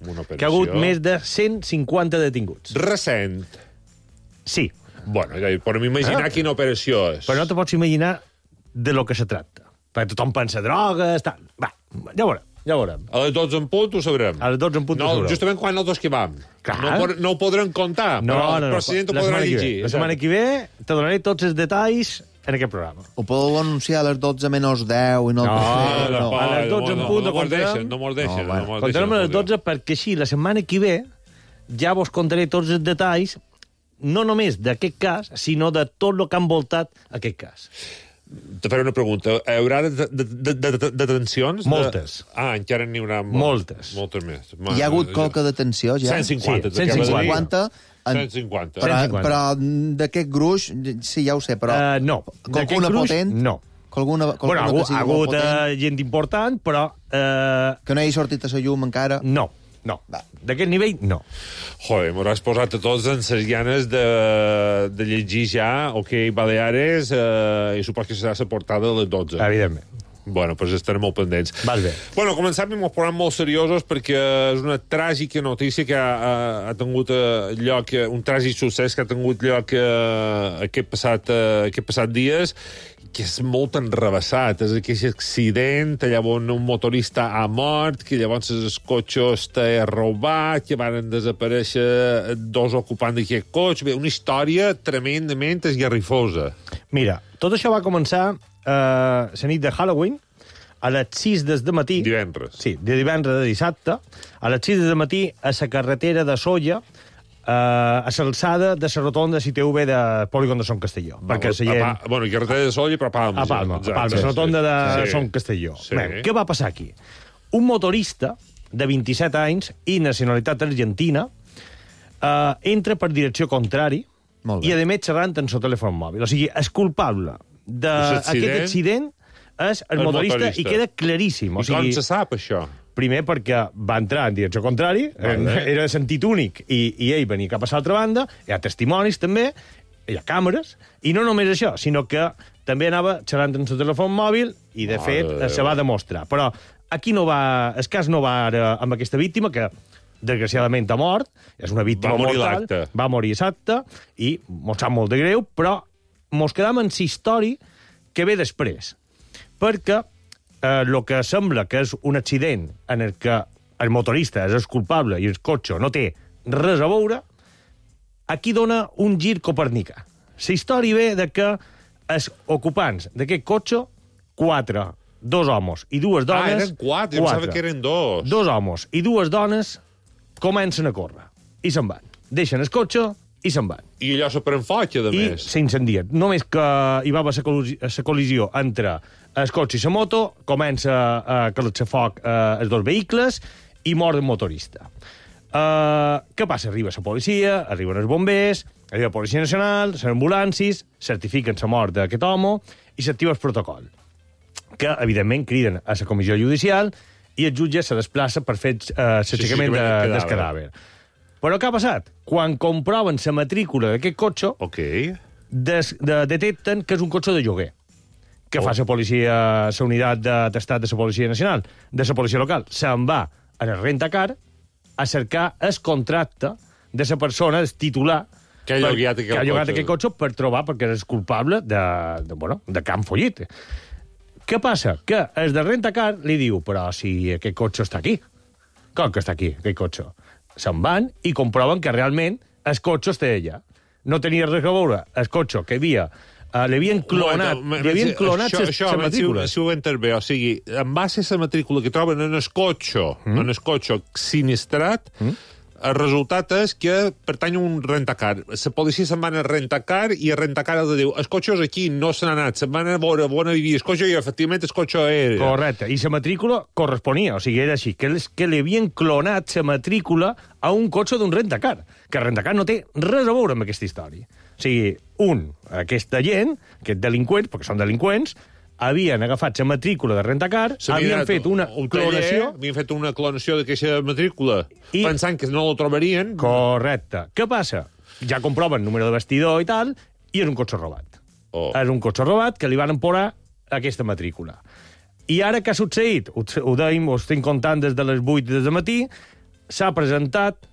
una operació que ha hagut més de cent cinquanta detinguts. Recent. Sí. Bueno, ja podem imaginar ah. quina operació és. Però no te pots imaginar de lo que se tracta. Perquè tothom pensa drogues, tal. Va, ja veurem. Ja ho veurem. A les dotze en punt ho sabrem. A les dotze en punt no, ho sabrem. Justament quan nosaltres que vam. Clar. No, no ho podrem contar, no, però, no, no, però la gent ho podrà llegir. La setmana que ve te donaré tots els detalls en aquest programa. Ho podeu anunciar a les dotze menys deu i no... No, no, no, no. a les dotze en punt no mos deixen, no mos deixen. No, bueno. Contarem a les dotze perquè així la setmana que ve ja vos contaré tots els detalls, no només d'aquest cas, sinó de tot el que ha envoltat aquest cas. Te faré una pregunta. Hi haurà detencions? Moltes. De... Ah, encara n'hi haurà moltes. Moltes més. Hi ha hagut qualque detenció, ja? cent cinquanta. Sí, cent cinquanta. En... cent cinquanta. Però, però d'aquest gruix, sí, ja ho sé, però... Uh, no. Qualcuna potent? No. Qualcuna, qualcuna bueno, que sigui ha hagut uh, gent important, però... Uh... Que no hagi sortit a la llum encara? No, no. D'aquest nivell, no. Joder, m'hauràs posat a tots en ses ganes de, de llegir ja Ok Baleares eh, i supos que serà la portada de les dotze. Evidentment. Bueno, doncs estarem molt pendents. Vas bé. Bueno, començam amb els programes molt seriosos perquè és una tràgica notícia que ha, ha, ha tingut eh, lloc, un tràgic succés que ha tingut lloc eh, aquest, passat, eh, aquest passat dies, que és molt enrevessat. És aquell accident, llavors un motorista ha mort, que llavors el cotxe està robat, que van desaparèixer dos ocupants d'aquest cotxe. Bé, una història tremendament esgarrifosa. Mira, tot això va començar eh, la nit de Halloween, a les sis del matí... Divendres. Sí, de divendres a dissabte, a les sis del matí, a la carretera de Solla, Uh, a l'alçada de la rotonda C T V de Polígon de Son Castelló. Va, perquè la gent... pa, bueno, carretera de Solla, però a Palma. A Palma, Exacte, a Palma, la rotonda de sí. Son Castelló. Sí. Bé, què va passar aquí? Un motorista de vint-i-set anys i nacionalitat argentina uh, entra per direcció contrari i, a més, xerrant en el telèfon mòbil. O sigui, és culpable d'aquest accident és el, el motorista, motorista i queda claríssim. O I sigui, com se sap, això? Primer perquè va entrar en direcció contrari, vale. Era de sentit únic, i, i ell venia cap a l'altra banda, hi ha testimonis també, hi ha càmeres, i no només això, sinó que també anava xerrant en el telèfon mòbil, i de fet oh, se va demostrar. Però aquí no va, el cas no va ara amb aquesta víctima, que desgraciadament ha mort, és una víctima va morir mortal, va morir exacte, i mos sap molt de greu, però mos quedam en la història que ve després. Perquè el eh, que sembla que és un accident en el que el motorista és el culpable i el cotxe no té res a veure, aquí dona un gir copernicà. La història ve de que els ocupants d'aquest cotxe, quatre, dos homes i dues dones... Ah, eren quatre, jo pensava que eren dos. Dos homes i dues dones comencen a córrer i se'n van. Deixen el cotxe i se'n van. I allò se pren foc, a I més. s'incendien. Només que hi va haver la col·lisió entre el cotxe i la moto, comença a calar-se foc eh, els dos vehicles i mor el motorista. Uh, què passa? Arriba la policia, arriben els bombers, arriba la Policia Nacional, les ambulàncies, certifiquen la mort d'aquest home i s'activa el protocol, que, evidentment, criden a la comissió judicial i el jutge se desplaça per fer uh, l'aixecament de, del cadàver. Però què ha passat? Quan comproven la matrícula d'aquest cotxe, okay. des, de, detecten que és un cotxe de lloguer, que oh. fa la policia, la unitat d'estat de la Policia Nacional, de la policia local, se'n va a el rentacar a cercar el contracte de la persona, el titular, que ha llogat aquest, que ha llogat aquest cotxe per trobar, perquè és culpable de, de, bueno, de que han follit. Què passa? Que el de rentacar li diu, però si aquest cotxe està aquí. Com que està aquí, aquest cotxe? Se'n van i comproven que realment el cotxe està allà. No tenia res a veure el cotxe que havia... Uh, li havien clonat, no, li havien clonat això, ses, això, ses matrícules. Si, si ho entens bé, o sigui, en base a la matrícula que troben en el cotxe, mm. en el cotxe sinistrat, mm. el resultat és que pertany a un rentacar. La policia se'n van a rentacar i el rentacar els diu, el cotxe és aquí, no se n'ha anat, se'n van a veure on vivia el cotxe i efectivament el cotxe era. Correcte, i la matrícula corresponia, o sigui, era així, que, les, que li havien clonat la matrícula a un cotxe d'un rentacar, que el rentacar no té res a veure amb aquesta història. O sigui, un, aquesta gent, aquests delinqüents, perquè són delinqüents, havien agafat la matrícula de rentacar, havien fet una un clonació... Taller, havien fet una clonació d'aquesta matrícula, i... pensant que no la trobarien. Correcte. Què passa? Ja comproven número de vestidor i tal, i és un cotxe robat. Oh. És un cotxe robat que li van emporar aquesta matrícula. I ara què ha succeït? Ho, ho deim, ho estem contant des de les vuit del matí, s'ha presentat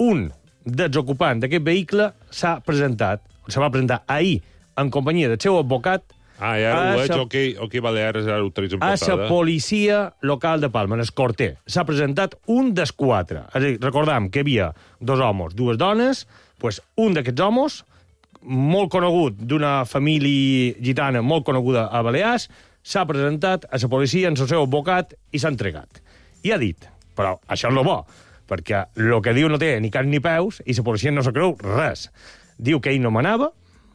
un dels ocupants d'aquest vehicle, s'ha presentat, se va presentar ahir en companyia del seu advocat ah, ja ho veig, ok, ok, Balears, ara ho trets en portada. A la policia local de Palma, en el Corter. S'ha presentat un dels quatre. És a dir, recordam que hi havia dos homes, dues dones, pues un d'aquests homes, molt conegut, d'una família gitana molt coneguda a Balears, s'ha presentat a la policia en el seu advocat i s'ha entregat. I ha dit, però això és el bo, perquè el que diu no té ni cap ni peus i la policia no se creu res. Diu que ell no manava,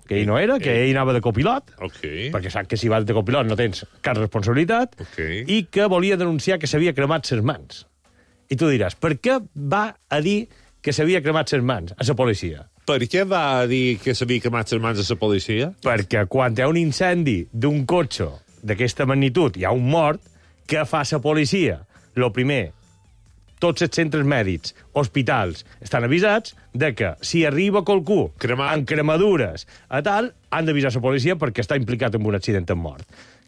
que ell no era, que ell anava de copilot, okay. perquè sap que si vas de copilot no tens cap responsabilitat, okay. i que volia denunciar que s'havia cremat ses mans. I tu diràs, per què va a dir que s'havia cremat ses mans a la policia? Per què va dir que s'havia cremat ses mans a la policia? Perquè quan hi ha un incendi d'un cotxe d'aquesta magnitud, hi ha un mort, què fa la policia? Lo primer, tots els centres mèdics, hospitals, estan avisats de que si arriba qualcú Cremat. amb cremadures a tal, han d'avisar la policia perquè està implicat en un accident amb mort.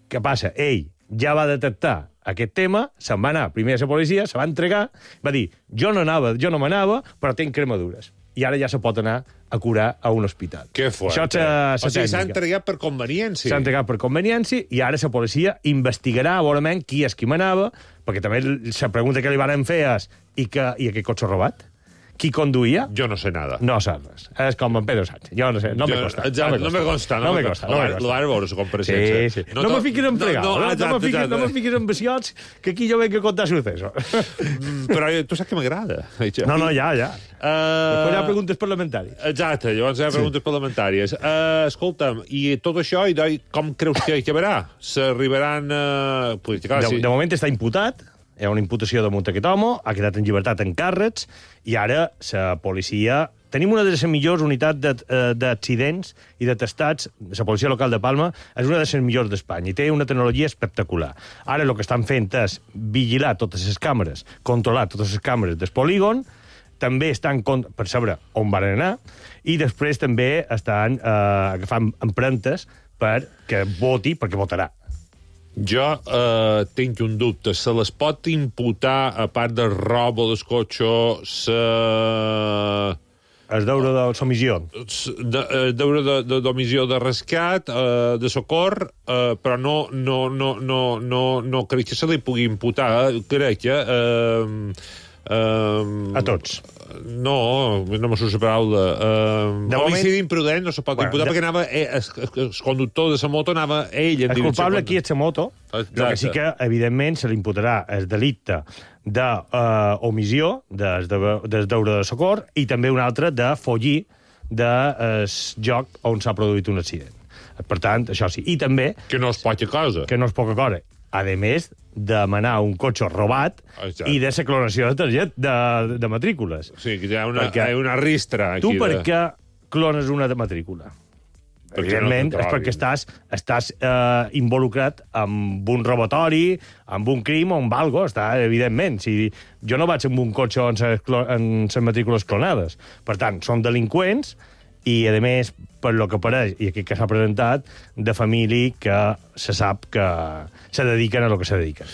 Què passa? Ell ja va detectar aquest tema, se'n va anar primer a la policia, se va entregar, va dir, jo no anava, jo no m'anava, però tinc cremadures. I ara ja se pot anar a curar a un hospital. Que fort. Això és la O sigui, s'ha tècnica. entregat per conveniència. S'ha entregat per conveniència i ara la policia investigarà a veure qui és qui manava, perquè també la pregunta que li van fer és i, que, i aquest cotxe robat? Qui conduïa? Jo no sé nada. No saps res. És com en Pedro Sánchez. Jo no sé, no me costa. Exacte, no me consta. No me costa. No me costa. L'ara veure la compareixença. Sí, sí. No, no me fiquis en fregar. No, No, no, no, me fiquis, no me fiquis en visiots, que aquí jo venc a contar sucesos. Però tu saps que m'agrada. No, no, ja, ja. Uh, Després hi ha preguntes parlamentàries. Exacte, llavors hi ha preguntes sí. parlamentàries. Uh, escolta'm, i tot això, i doi, com creus que acabarà? S'arribaran... Uh... Pues, clar, De, sí. de moment està imputat, hi ha una imputació damunt aquest home, ha quedat en llibertat en càrrecs, i ara la policia... Tenim una de les millors unitats d'accidents i de testats. La policia local de Palma és una de les millors d'Espanya i té una tecnologia espectacular. Ara el que estan fent és vigilar totes les càmeres, controlar totes les càmeres del polígon, també estan per saber on van anar, i després també estan eh, agafant empremtes perquè voti, perquè votarà. Jo eh, tinc un dubte. Se les pot imputar, a part del robo del cotxe, se... El deure de l'omissió. El deure de, de, d'omissió de rescat, eh, de socor, eh, però no, no, no, no, no, no crec que se li pugui imputar. Eh? Crec que... Eh, eh, a tots. No, no me surt la paraula. Uh, homicidi moment... imprudent no se pot bueno, imputar, de... perquè anava, eh, el, el conductor de la moto anava ell en el direcció... El culpable aquí és la moto, el que sí que, evidentment, se li imputarà el delicte d'omissió, uh, del de, deure de socor, i també un altre de follir del lloc on s'ha produït un accident. Per tant, això sí. I també... Que no és poca cosa. Que no és poca cosa. A més, demanar un cotxe robat Exacte. I de la clonació de target de, de matrícules. Sí, que hi ha una, hi ha una ristra aquí. Tu per de... què clones una de matrícula? Perquè Evidentment, no és perquè estàs, estàs eh, involucrat amb un robatori, amb un crim o amb algo, està, evidentment. Si jo no vaig amb un cotxe en les matrícules clonades. Per tant, són delinqüents i, a més, per lo que pareix, i aquí que s'ha presentat, de família que se sap que se dediquen a lo que se dediquen.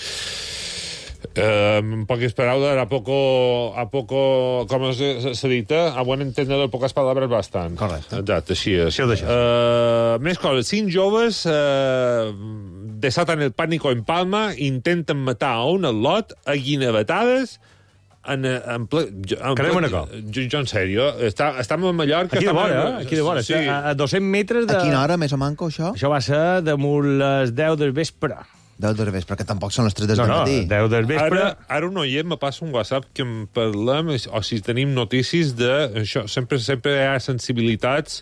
Eh, en poques paraules, a poco, a poco, com se, se dita, a buen entendedor, pocas palabras bastant. Correcte. Exacte, així és. Així ho deixes. Eh, més coses. Cinc joves eh, desatan el pánico en Palma, intenten matar a un al·lot a guinevetades en, en ple... En Carrer Manacor. Jo, jo, en sèrio, està, estem a Mallorca... Aquí de vora, en... eh? Aquí de vora. Sí. A, a dos-cents metres de... A quina hora, més o manco, això? Això va ser damunt les deu del vespre. deu del vespre, perquè tampoc són les tres del no, no, matí. deu del vespre... Ara, ara un oient me passa un WhatsApp que en parlem, o si tenim notícies de... Això, sempre, sempre hi ha sensibilitats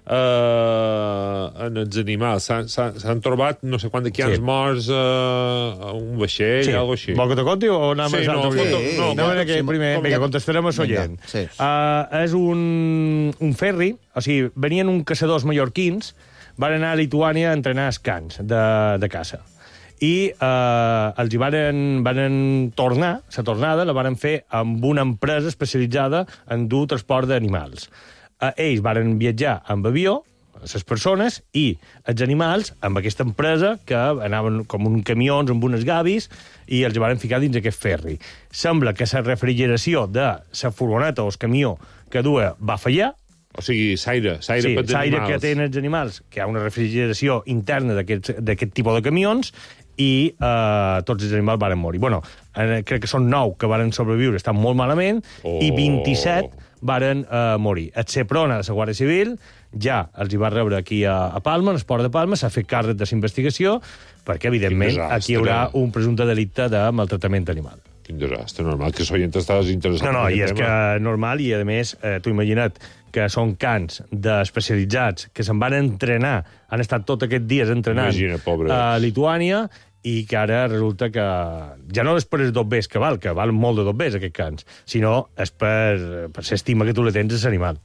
eh, en els animals. S'han trobat no sé quant de quants sí. morts eh, a un vaixell, sí. algo així. Vol que te conti o anem sí, a no, sí, no, no, no, no, que primer, com, vinga, contestarem a l'oient. Sí. Uh, és un, un ferri, o sigui, venien uns caçadors mallorquins, van anar a Lituània a entrenar els cans de, de caça. I eh, els hi van, van tornar, la tornada la van fer amb una empresa especialitzada en dur transport d'animals. Eh, ells van viatjar amb avió, les persones, i els animals amb aquesta empresa que anaven com un camions amb unes gavis i els van ficar dins aquest ferri. Sembla que la refrigeració de la furgoneta o el camió que duia va fallar. O sigui, s'aire, s'aire sí, per els s'aire animals. que tenen els animals, que hi ha una refrigeració interna d'aquest tipus de camions, i eh, tots els animals van morir. Bueno, eh, crec que són nou que van sobreviure, estan molt malament, oh. i vint-i-set van eh, morir. El Seprona de la Guàrdia Civil ja els hi va rebre aquí a, a Palma, en el port de Palma, s'ha fet càrrec de la investigació, perquè, evidentment, aquí hi haurà un presumpte delicte de maltractament animal. Quin desastre, normal, que l'oient estàs interessat. No, no, en i és tema. que normal, i a més, eh, t'ho imagina't, que són cans d'especialitzats que se'n van entrenar, han estat tot aquests dies entrenant Imagina, pobre. a Lituània, i que ara resulta que ja no és per els dobbers que val, que val molt de dobbers, aquests cans, sinó és per, per l'estima que tu le tens a l'animal.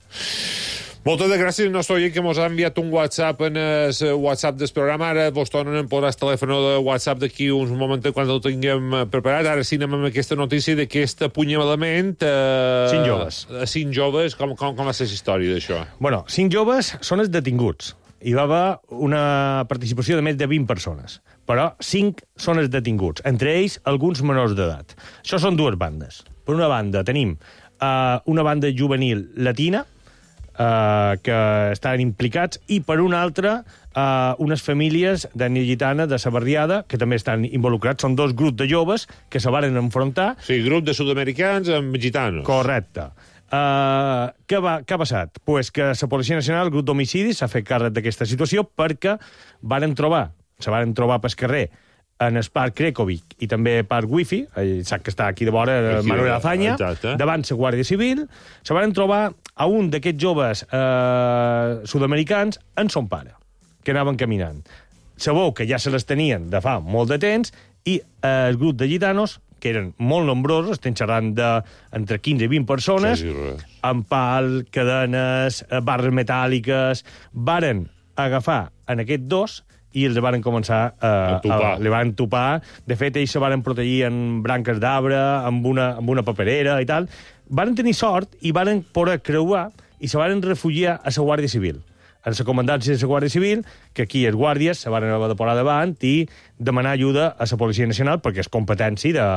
Moltes gràcies al nostre oient que ens ha enviat un WhatsApp en el WhatsApp del programa. Ara vos tornen a posar el telèfon de WhatsApp d'aquí uns moments quan el tinguem preparat. Ara sí anem amb aquesta notícia d'aquest apunyalament. Eh, cinc joves. Cinc joves. Com, com, com va ser la història d'això? Bueno, cinc joves són els detinguts. hi va haver una participació de més de vint persones, però cinc són els detinguts, entre ells alguns menors d'edat. Això són dues bandes. Per una banda tenim uh, una banda juvenil latina, Uh, que estaven implicats, i per una altra uh, unes famílies d'ètnia gitana de sa barriada que també estan involucrats. Són dos grups de joves que se varen enfrontar. Sí, grup de sud-americans amb gitanos. Correcte. Uh, què, va, què ha passat? Pues que la Policia Nacional, el grup d'homicidis, s'ha fet càrrec d'aquesta situació perquè varen trobar, se varen trobar pel carrer en el Parc Krekovic i també Parc Wifi, sap que està aquí de vora, aquí, Manuel Azaña, exacte, davant la Guàrdia Civil, se van trobar a un d'aquests joves eh, sud-americans en son pare, que anaven caminant. Sabeu que ja se les tenien de fa molt de temps i eh, el grup de gitanos, que eren molt nombrosos, estem xerrant d'entre quinze i vint persones, sí, sí, amb pal, cadenes, barres metàl·liques, varen agafar en aquests dos i els van començar a, a, a li van topar. De fet, ells se van protegir en branques d'arbre, amb, una, amb una paperera i tal. Van tenir sort i van poder creuar i se van refugiar a la Guàrdia Civil. En la comandància de la Guàrdia Civil, que aquí els guàrdies se van haver de posar davant i demanar ajuda a la Policia Nacional, perquè és competència de,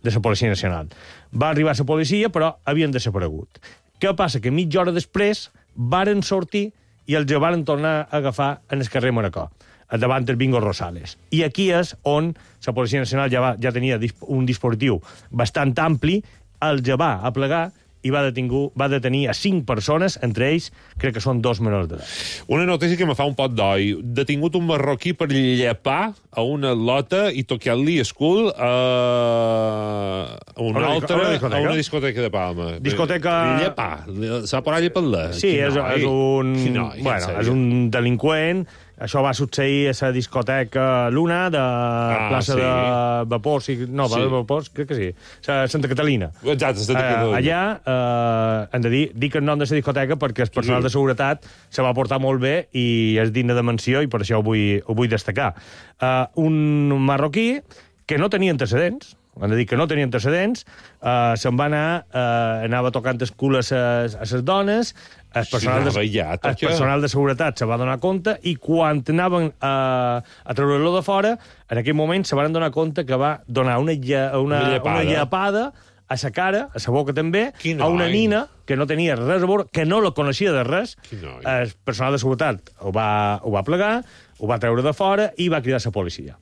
de la Policia Nacional. Va arribar la policia, però havien desaparegut. Què passa? Que mitja hora després varen sortir i els van tornar a agafar en el carrer Manacor, davant del Bingo Rosales. I aquí és on la Policia Nacional ja, va, ja tenia un dispositiu bastant ampli, els va aplegar i va, detingu, va detenir a cinc persones, entre ells crec que són dos menors d'edat. Una notícia que me fa un pot d'oi. Detingut un marroquí per llepar a una lota i tocar-li el cul a una, una altra, a una discoteca, a una discoteca de Palma. Discoteca... Llepar. S'ha parat llepar-la. Sí, és, és, un, noi, bueno, és un delinqüent. Això va succeir a la discoteca Luna de ah, plaça sí. de Vapors, no, sí. de Vapors, crec que sí, Santa Catalina. Exacte, Santa Catalina. Uh, allà, uh, hem de dir, dic el nom de la discoteca perquè el personal sí. de seguretat se va portar molt bé i és digne de menció i per això ho vull, ho vull destacar. Uh, un marroquí que no tenia antecedents, hem de dir que no tenia antecedents, uh, se'n va anar, uh, anava tocant el cul a les dones, el personal, de, ja, el personal de seguretat se va donar compte i quan anaven a, a treure-lo de fora, en aquell moment se van donar compte que va donar una, una, una, una llepada a sa cara, a sa boca també, a una nina que no tenia res a veure, que no la coneixia de res. El personal de seguretat ho va, ho va plegar, ho va treure de fora i va cridar a la policia.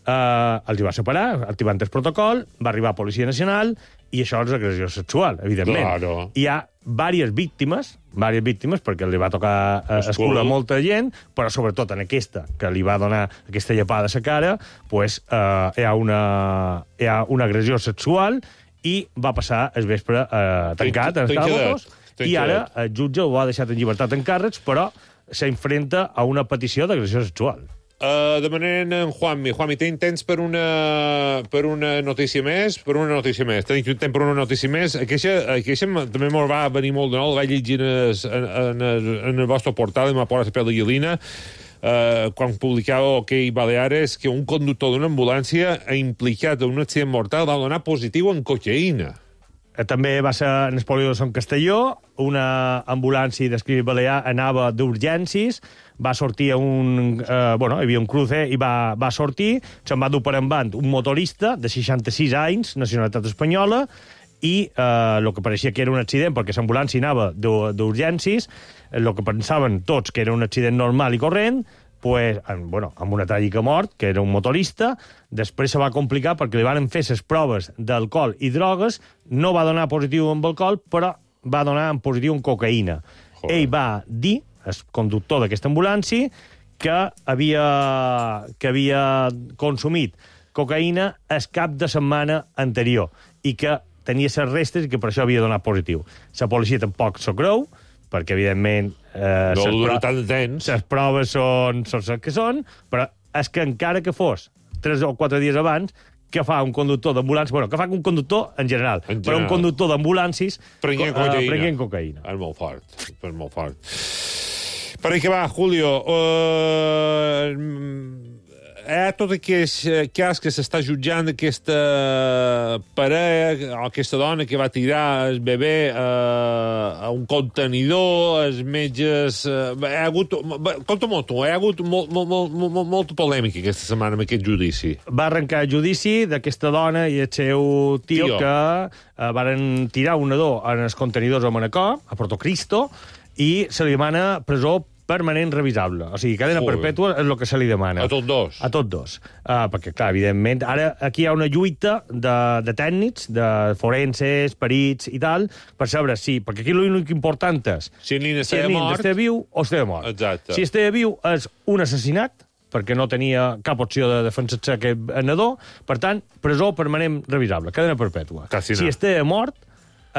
Uh, els hi va separar, activant el protocol, va arribar a Policia Nacional i això és agressió sexual, evidentment. Claro. Hi ha diverses víctimes, diverses víctimes, perquè li va tocar uh, escura a molta gent, però sobretot en aquesta, que li va donar aquesta llepada a la cara, pues, uh, hi, ha una, hi ha una agressió sexual i va passar el vespre uh, tancat, en Escalabos, i ara el jutge ho ha deixat en llibertat en càrrecs, però s'enfrenta a una petició d'agressió sexual. Uh, demanem en Juanmi. Juanmi, tenim temps per una, per una notícia més? Per una notícia més. Tenim temps per una notícia més. Aquesta, aquesta també m'ho va venir molt de nou. La vaig llegir en, en, en el vostre portal, m'ha posat la pell de gallina, uh, quan publicava OK Baleares, que un conductor d'una ambulància ha implicat en un accident mortal va donar positiu en cocaïna. També va ser en el polígon de Sant Castelló, una ambulància d'escrit balear anava d'urgències, va sortir un... Eh, bueno, hi havia un cruce i va, va sortir, se'n va dur per en un motorista de seixanta-sis anys, nacionalitat espanyola, i eh, el que pareixia que era un accident, perquè l'ambulància anava d'urgències, el que pensaven tots que era un accident normal i corrent, pues, amb, bueno, amb una tràgica mort, que era un motorista. Després se va complicar perquè li van fer les proves d'alcohol i drogues, no va donar positiu amb alcohol, però va donar en positiu en cocaïna. Joder. Ell va dir, el conductor d'aquesta ambulància, que havia, que havia consumit cocaïna el cap de setmana anterior i que tenia les restes i que per això havia donat positiu. La policia tampoc s'ho creu, perquè, evidentment, eh, no les, pro tant de temps. les proves són, són les que són, però és que encara que fos tres o quatre dies abans, que fa un conductor d'ambulàncies, bueno, que fa un conductor en general, en general. però un conductor d'ambulàncies prenguent cocaïna. Uh, prenguent cocaïna. És molt fort, és molt fort. Per ahí que va, Julio, uh, hi ha tot aquest cas que s'està jutjant aquesta parella o aquesta dona que va tirar el bebè uh, a un contenidor, els metges... Uh, hi ha hagut... Conta-m'ho tu, hi ha hagut molt, molt, molt, molt, molta polèmica aquesta setmana amb aquest judici. Va arrencar el judici d'aquesta dona i el seu tio, tio. que uh, varen tirar un nadó en els contenidors a Manacor, a Porto Cristo, i se li demana presó permanent revisable. O sigui, cadena Ui. perpètua és el que se li demana. A tots dos? A tots dos. Uh, perquè, clar, evidentment, ara aquí hi ha una lluita de, de tècnics, de forenses, perits i tal, per saber si... Perquè aquí l'únic important és si el nen si el nen està viu o està mort. Exacte. Si està viu és un assassinat, perquè no tenia cap opció de defensar-se aquest nadó, per tant, presó permanent revisable, cadena perpètua. Quasi si no. està mort,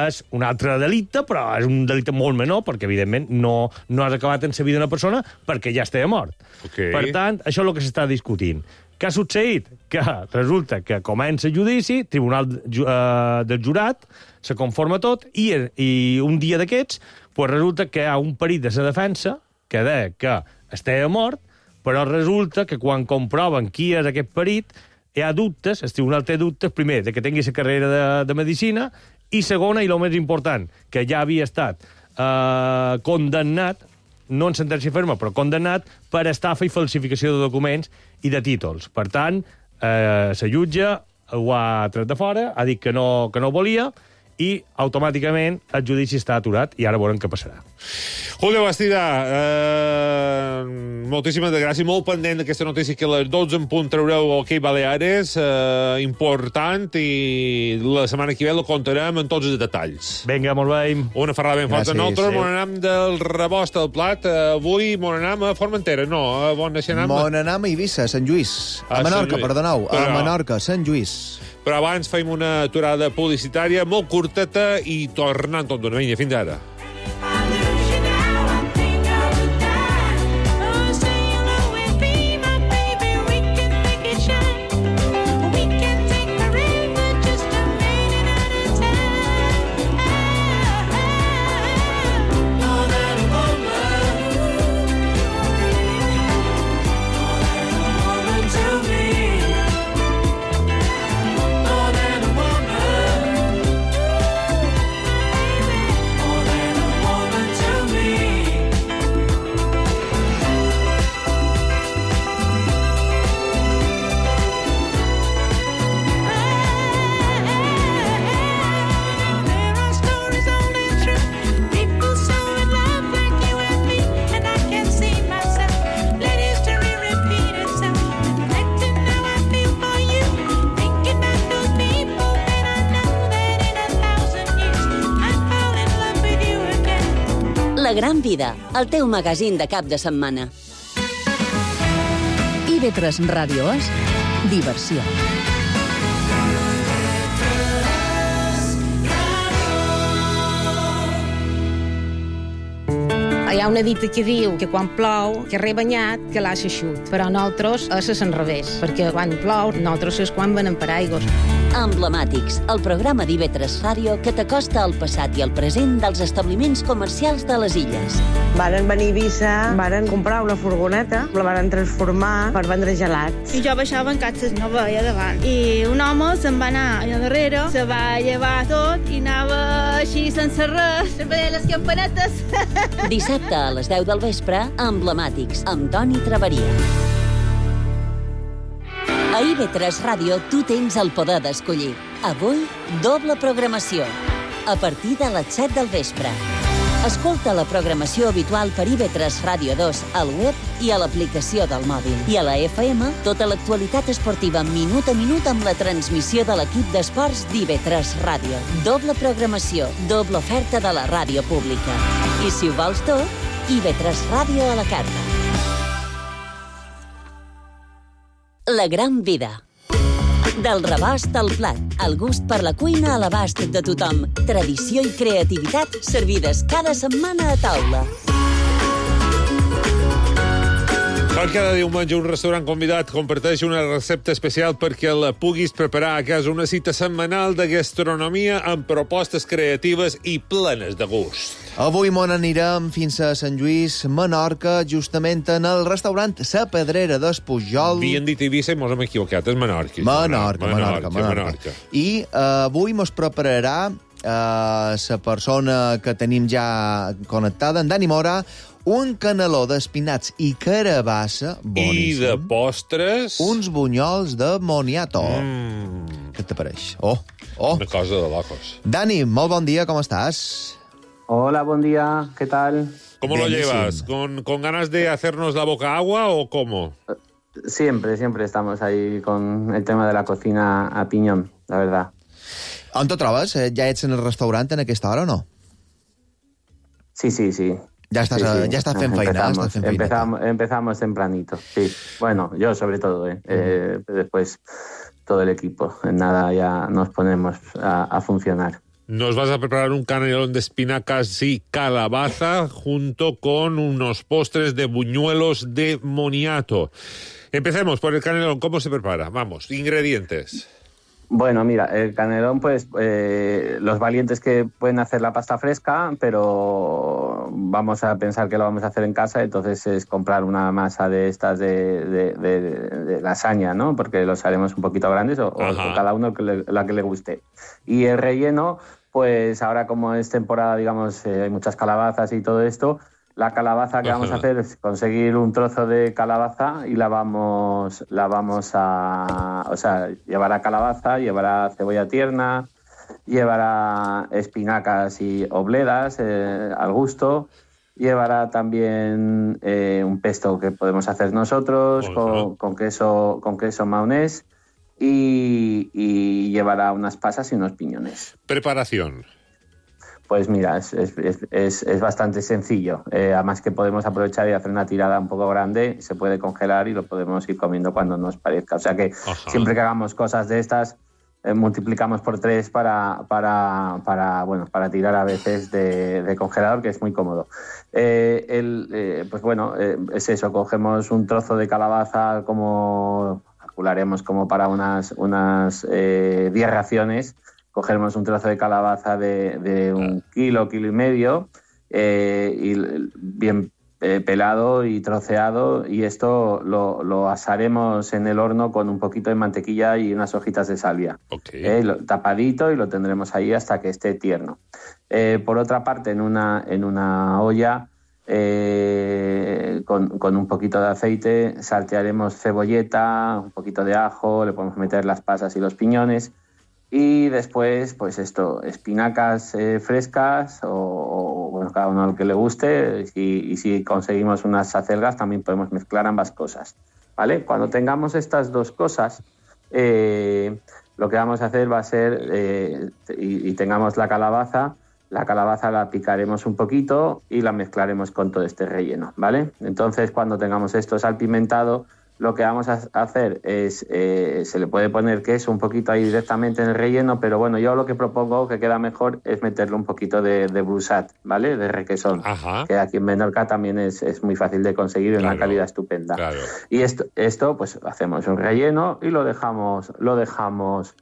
és un altre delicte, però és un delicte molt menor, perquè, evidentment, no, no has acabat en la vida d'una persona perquè ja està mort. Okay. Per tant, això és el que s'està discutint. Què ha succeït? Que resulta que comença el judici, tribunal uh, del jurat, se conforma tot, i, i un dia d'aquests pues resulta que hi ha un perit de la defensa que deia que estava mort, però resulta que quan comproven qui és aquest perit, hi ha dubtes, el tribunal té dubtes, primer, de que tingui la carrera de, de medicina, i segona, i el més important, que ja havia estat eh, condemnat, no en sentència ferma, però condemnat per estafa i falsificació de documents i de títols. Per tant, eh, la jutge ho ha tret de fora, ha dit que no, que no volia, i automàticament el judici està aturat i ara veurem què passarà. Julio Bastida, eh, moltíssimes gràcies, molt pendent d'aquesta notícia que a les dotze en punt traureu OK Baleares, eh, important, i la setmana que ve la contarem en tots els detalls. Vinga, molt bé. Una ferrada ben forta. Nosaltres sí. M'on del rebost al plat, eh, avui m'on anem a Formentera, no, a on naixem? M'on anem a Eivissa, Sant Lluís. A ah, Menorca, perdoneu, a Però... Menorca, Sant Lluís. Però abans fem una aturada publicitària molt curteta i tornant tot d'una vinya. Fins ara. La Gran Vida, el teu magazín de cap de setmana. I V tres Ràdio és diversió. Hi ha una dita que diu que quan plou, que rebanyat, que l'ha xaixut. Però nosaltres és al revés, perquè quan plou, nosaltres és quan venem paraigües. Emblemàtics, el programa d'I V tres Ràdio que t'acosta al passat i al present dels establiments comercials de les illes. Varen venir a Eivissa, varen comprar una furgoneta, la varen transformar per vendre gelats. I jo baixava en catxes, no veia davant. I un home se'n va anar allà darrere, se va llevar tot i anava així sense res, se veia les campanetes. Dissabte a les deu del vespre, Emblemàtics, amb Toni Traveria. A I V tres Ràdio tu tens el poder d'escollir. Avui, doble programació. A partir de les set del vespre. Escolta la programació habitual per I V tres Ràdio dos al web i a l'aplicació del mòbil. I a la F M, tota l'actualitat esportiva minut a minut amb la transmissió de l'equip d'esports d'I V tres Ràdio. Doble programació, doble oferta de la ràdio pública. I si ho vols tot, I V tres Ràdio a la carta. La Gran Vida. Del rebost al plat, el gust per la cuina a l'abast de tothom. Tradició i creativitat servides cada setmana a taula. Com cada diumenge un restaurant convidat comparteix una recepta especial perquè la puguis preparar a casa, una cita setmanal de gastronomia amb propostes creatives i plenes de gust. Avui mos anirem fins a Sant Lluís, Menorca, justament en el restaurant Sa Pedrera d'Espujol. Havien dit Eivissa i mos hem equivocat, és Menorca. Menorca, Menorca, Menorca. Menorca. Menorca. I uh, avui mos prepararà la uh, persona que tenim ja connectada, en Dani Mora, un caneló d'espinacs i carabassa boníssim. I de postres... Uns bunyols de moniato. Mm. Què t'apareix? Oh, oh. Una cosa de locos. Dani, molt bon dia, com estàs? Hola, buen día, ¿qué tal? ¿Cómo lo llevas? ¿Con, ¿Con ganas de hacernos la boca agua o cómo? Siempre, siempre estamos ahí con el tema de la cocina a piñón, la verdad. On te trobes? Ja ets en el restaurant en aquesta hora o no? Sí, sí, sí. Ya estás, sí, sí. ya estás en feina. Empezamos, estás en feina. empezamos, empezamos tempranito, sí. Bueno, yo sobre todo, ¿eh? eh después todo el equipo. En nada ya nos ponemos a, a funcionar. Nos vas a preparar un canelón de espinacas y calabaza junto con unos postres de buñuelos de moniato. Empecemos por el canelón. ¿Cómo se prepara? Vamos, ingredientes. Bueno, mira, el canelón, pues eh, los valientes que pueden hacer la pasta fresca, pero vamos a pensar que lo vamos a hacer en casa, entonces es comprar una masa de estas de, de, de, de lasaña, ¿no? Porque los haremos un poquito grandes o, o cada uno que le, la que le guste. Y el relleno, pues ahora como es temporada, digamos, eh, hay muchas calabazas y todo esto. La calabaza que Ajá. vamos a hacer es conseguir un trozo de calabaza y la vamos, la vamos a... O sea, llevará calabaza, llevará cebolla tierna, llevará espinacas y obledas eh, al gusto, llevará también eh, un pesto que podemos hacer nosotros con, con queso con queso maonés y, y llevará unas pasas y unos piñones. Preparación. Pues mira, es, es, es, es bastante sencillo. Eh, además que podemos aprovechar y hacer una tirada un poco grande, se puede congelar y lo podemos ir comiendo cuando nos parezca. O sea que Ajá. siempre que hagamos cosas de estas, eh, multiplicamos por tres para, para, para, bueno, para tirar a veces de, de congelador, que es muy cómodo. Eh, el, eh, pues bueno, eh, es eso, cogemos un trozo de calabaza, como calcularemos como para unas, unas eh, diez raciones. Cogeremos un trozo de calabaza de, de un kilo, kilo y medio, eh, y bien eh, pelado y troceado, y esto lo, lo asaremos en el horno con un poquito de mantequilla y unas hojitas de salvia. Okay. Eh, lo, tapadito, y lo tendremos ahí hasta que esté tierno. Eh, por otra parte, en una, en una olla, eh, con, con un poquito de aceite, saltearemos cebolleta, un poquito de ajo, le podemos meter las pasas y los piñones. Y después, pues esto, espinacas eh, frescas o, o, bueno, cada uno lo que le guste. Y, y si conseguimos unas acelgas, también podemos mezclar ambas cosas, ¿vale? Cuando tengamos estas dos cosas, eh, lo que vamos a hacer va a ser, eh, y, y tengamos la calabaza, la calabaza la picaremos un poquito y la mezclaremos con todo este relleno, ¿vale? Entonces, cuando tengamos esto salpimentado, lo que vamos a hacer es, eh, se le puede poner queso un poquito ahí directamente en el relleno, pero bueno, yo lo que propongo que queda mejor es meterle un poquito de, de brusat, ¿vale? De requesón, Ajá. que aquí en Menorca también es, es muy fácil de conseguir en claro, una calidad estupenda. Claro. Y esto, esto, pues hacemos un relleno y lo dejamos, lo dejamos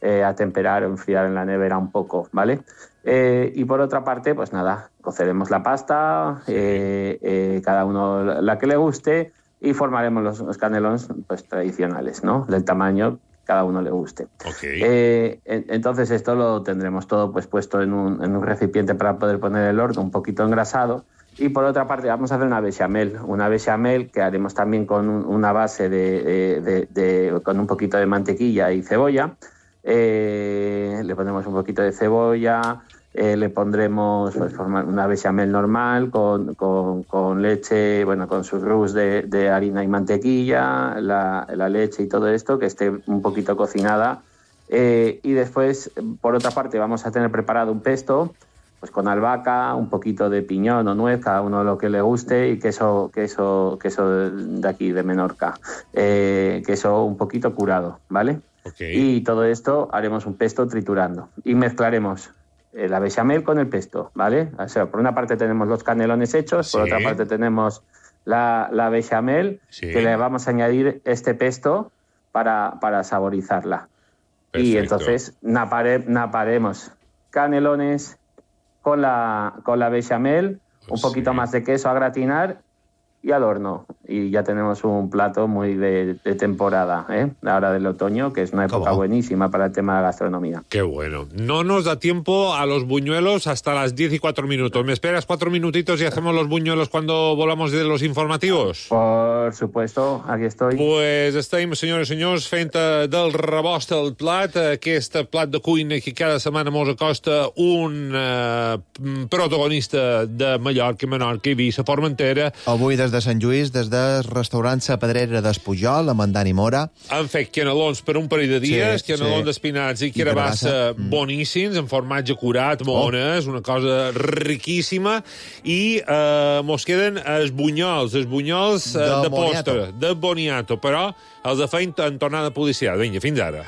eh, a temperar o enfriar en la nevera un poco, ¿vale? Eh, y por otra parte, pues nada, coceremos la pasta, sí. eh, eh, cada uno la que le guste, y formaremos los, los canelones pues tradicionales, ¿no? Del tamaño que cada uno le guste. Okay. Eh, en, entonces esto lo tendremos todo pues puesto en un, en un recipiente para poder poner el horno un poquito engrasado. Y por otra parte vamos a hacer una bechamel, una bechamel que haremos también con un, una base de, de, de, de con un poquito de mantequilla y cebolla. Eh, le ponemos un poquito de cebolla. Eh, le pondremos pues, una bechamel normal con, con, con leche, bueno, con sus roux de, de harina y mantequilla, la, la leche y todo esto, que esté un poquito cocinada. Eh, y después, por otra parte, vamos a tener preparado un pesto, pues con albahaca, un poquito de piñón o nuez, cada uno lo que le guste, y queso, queso, queso de aquí, de Menorca, eh, queso un poquito curado, ¿vale? Okay. Y todo esto haremos un pesto triturando y mezclaremos la bechamel con el pesto, ¿vale? O sea, por una parte tenemos los canelones hechos, sí. por otra parte tenemos la, la bechamel, sí. que le vamos a añadir este pesto para, para saborizarla. Perfecto. Y entonces napare, naparemos canelones con la, con la bechamel, un poquito sí. más de queso a gratinar y al horno. Y ya tenemos un plato muy de, de temporada, ¿eh? La hora del otoño, que es una época buenísima para el tema de la gastronomía. Qué bueno. No nos da tiempo a los buñuelos hasta las diez y cuatro minutos. ¿Me esperas cuatro minutitos y hacemos los buñuelos cuando volvamos de los informativos? Por supuesto, aquí estoy. Pues estem, senyores i senyors, fent eh, del rebost el plat, aquest plat de cuina que cada setmana mos acosta un eh, protagonista de Mallorca, Menorca, Eivissa, Formentera. Avui des de Sant Lluís, des del restaurant La Pedrera d'Espujol, amb en Dani Mora. Han fet canelons per un parell de dies, Sí, canelons sí. d'espinats i I carabassa carabassa, mm. boníssims, amb formatge curat, mones, una cosa riquíssima, i eh, mos queden els bunyols, els bunyols eh, De de boniato. postre, de boniato, però els de feint en tornada policial. Vinga, fins ara.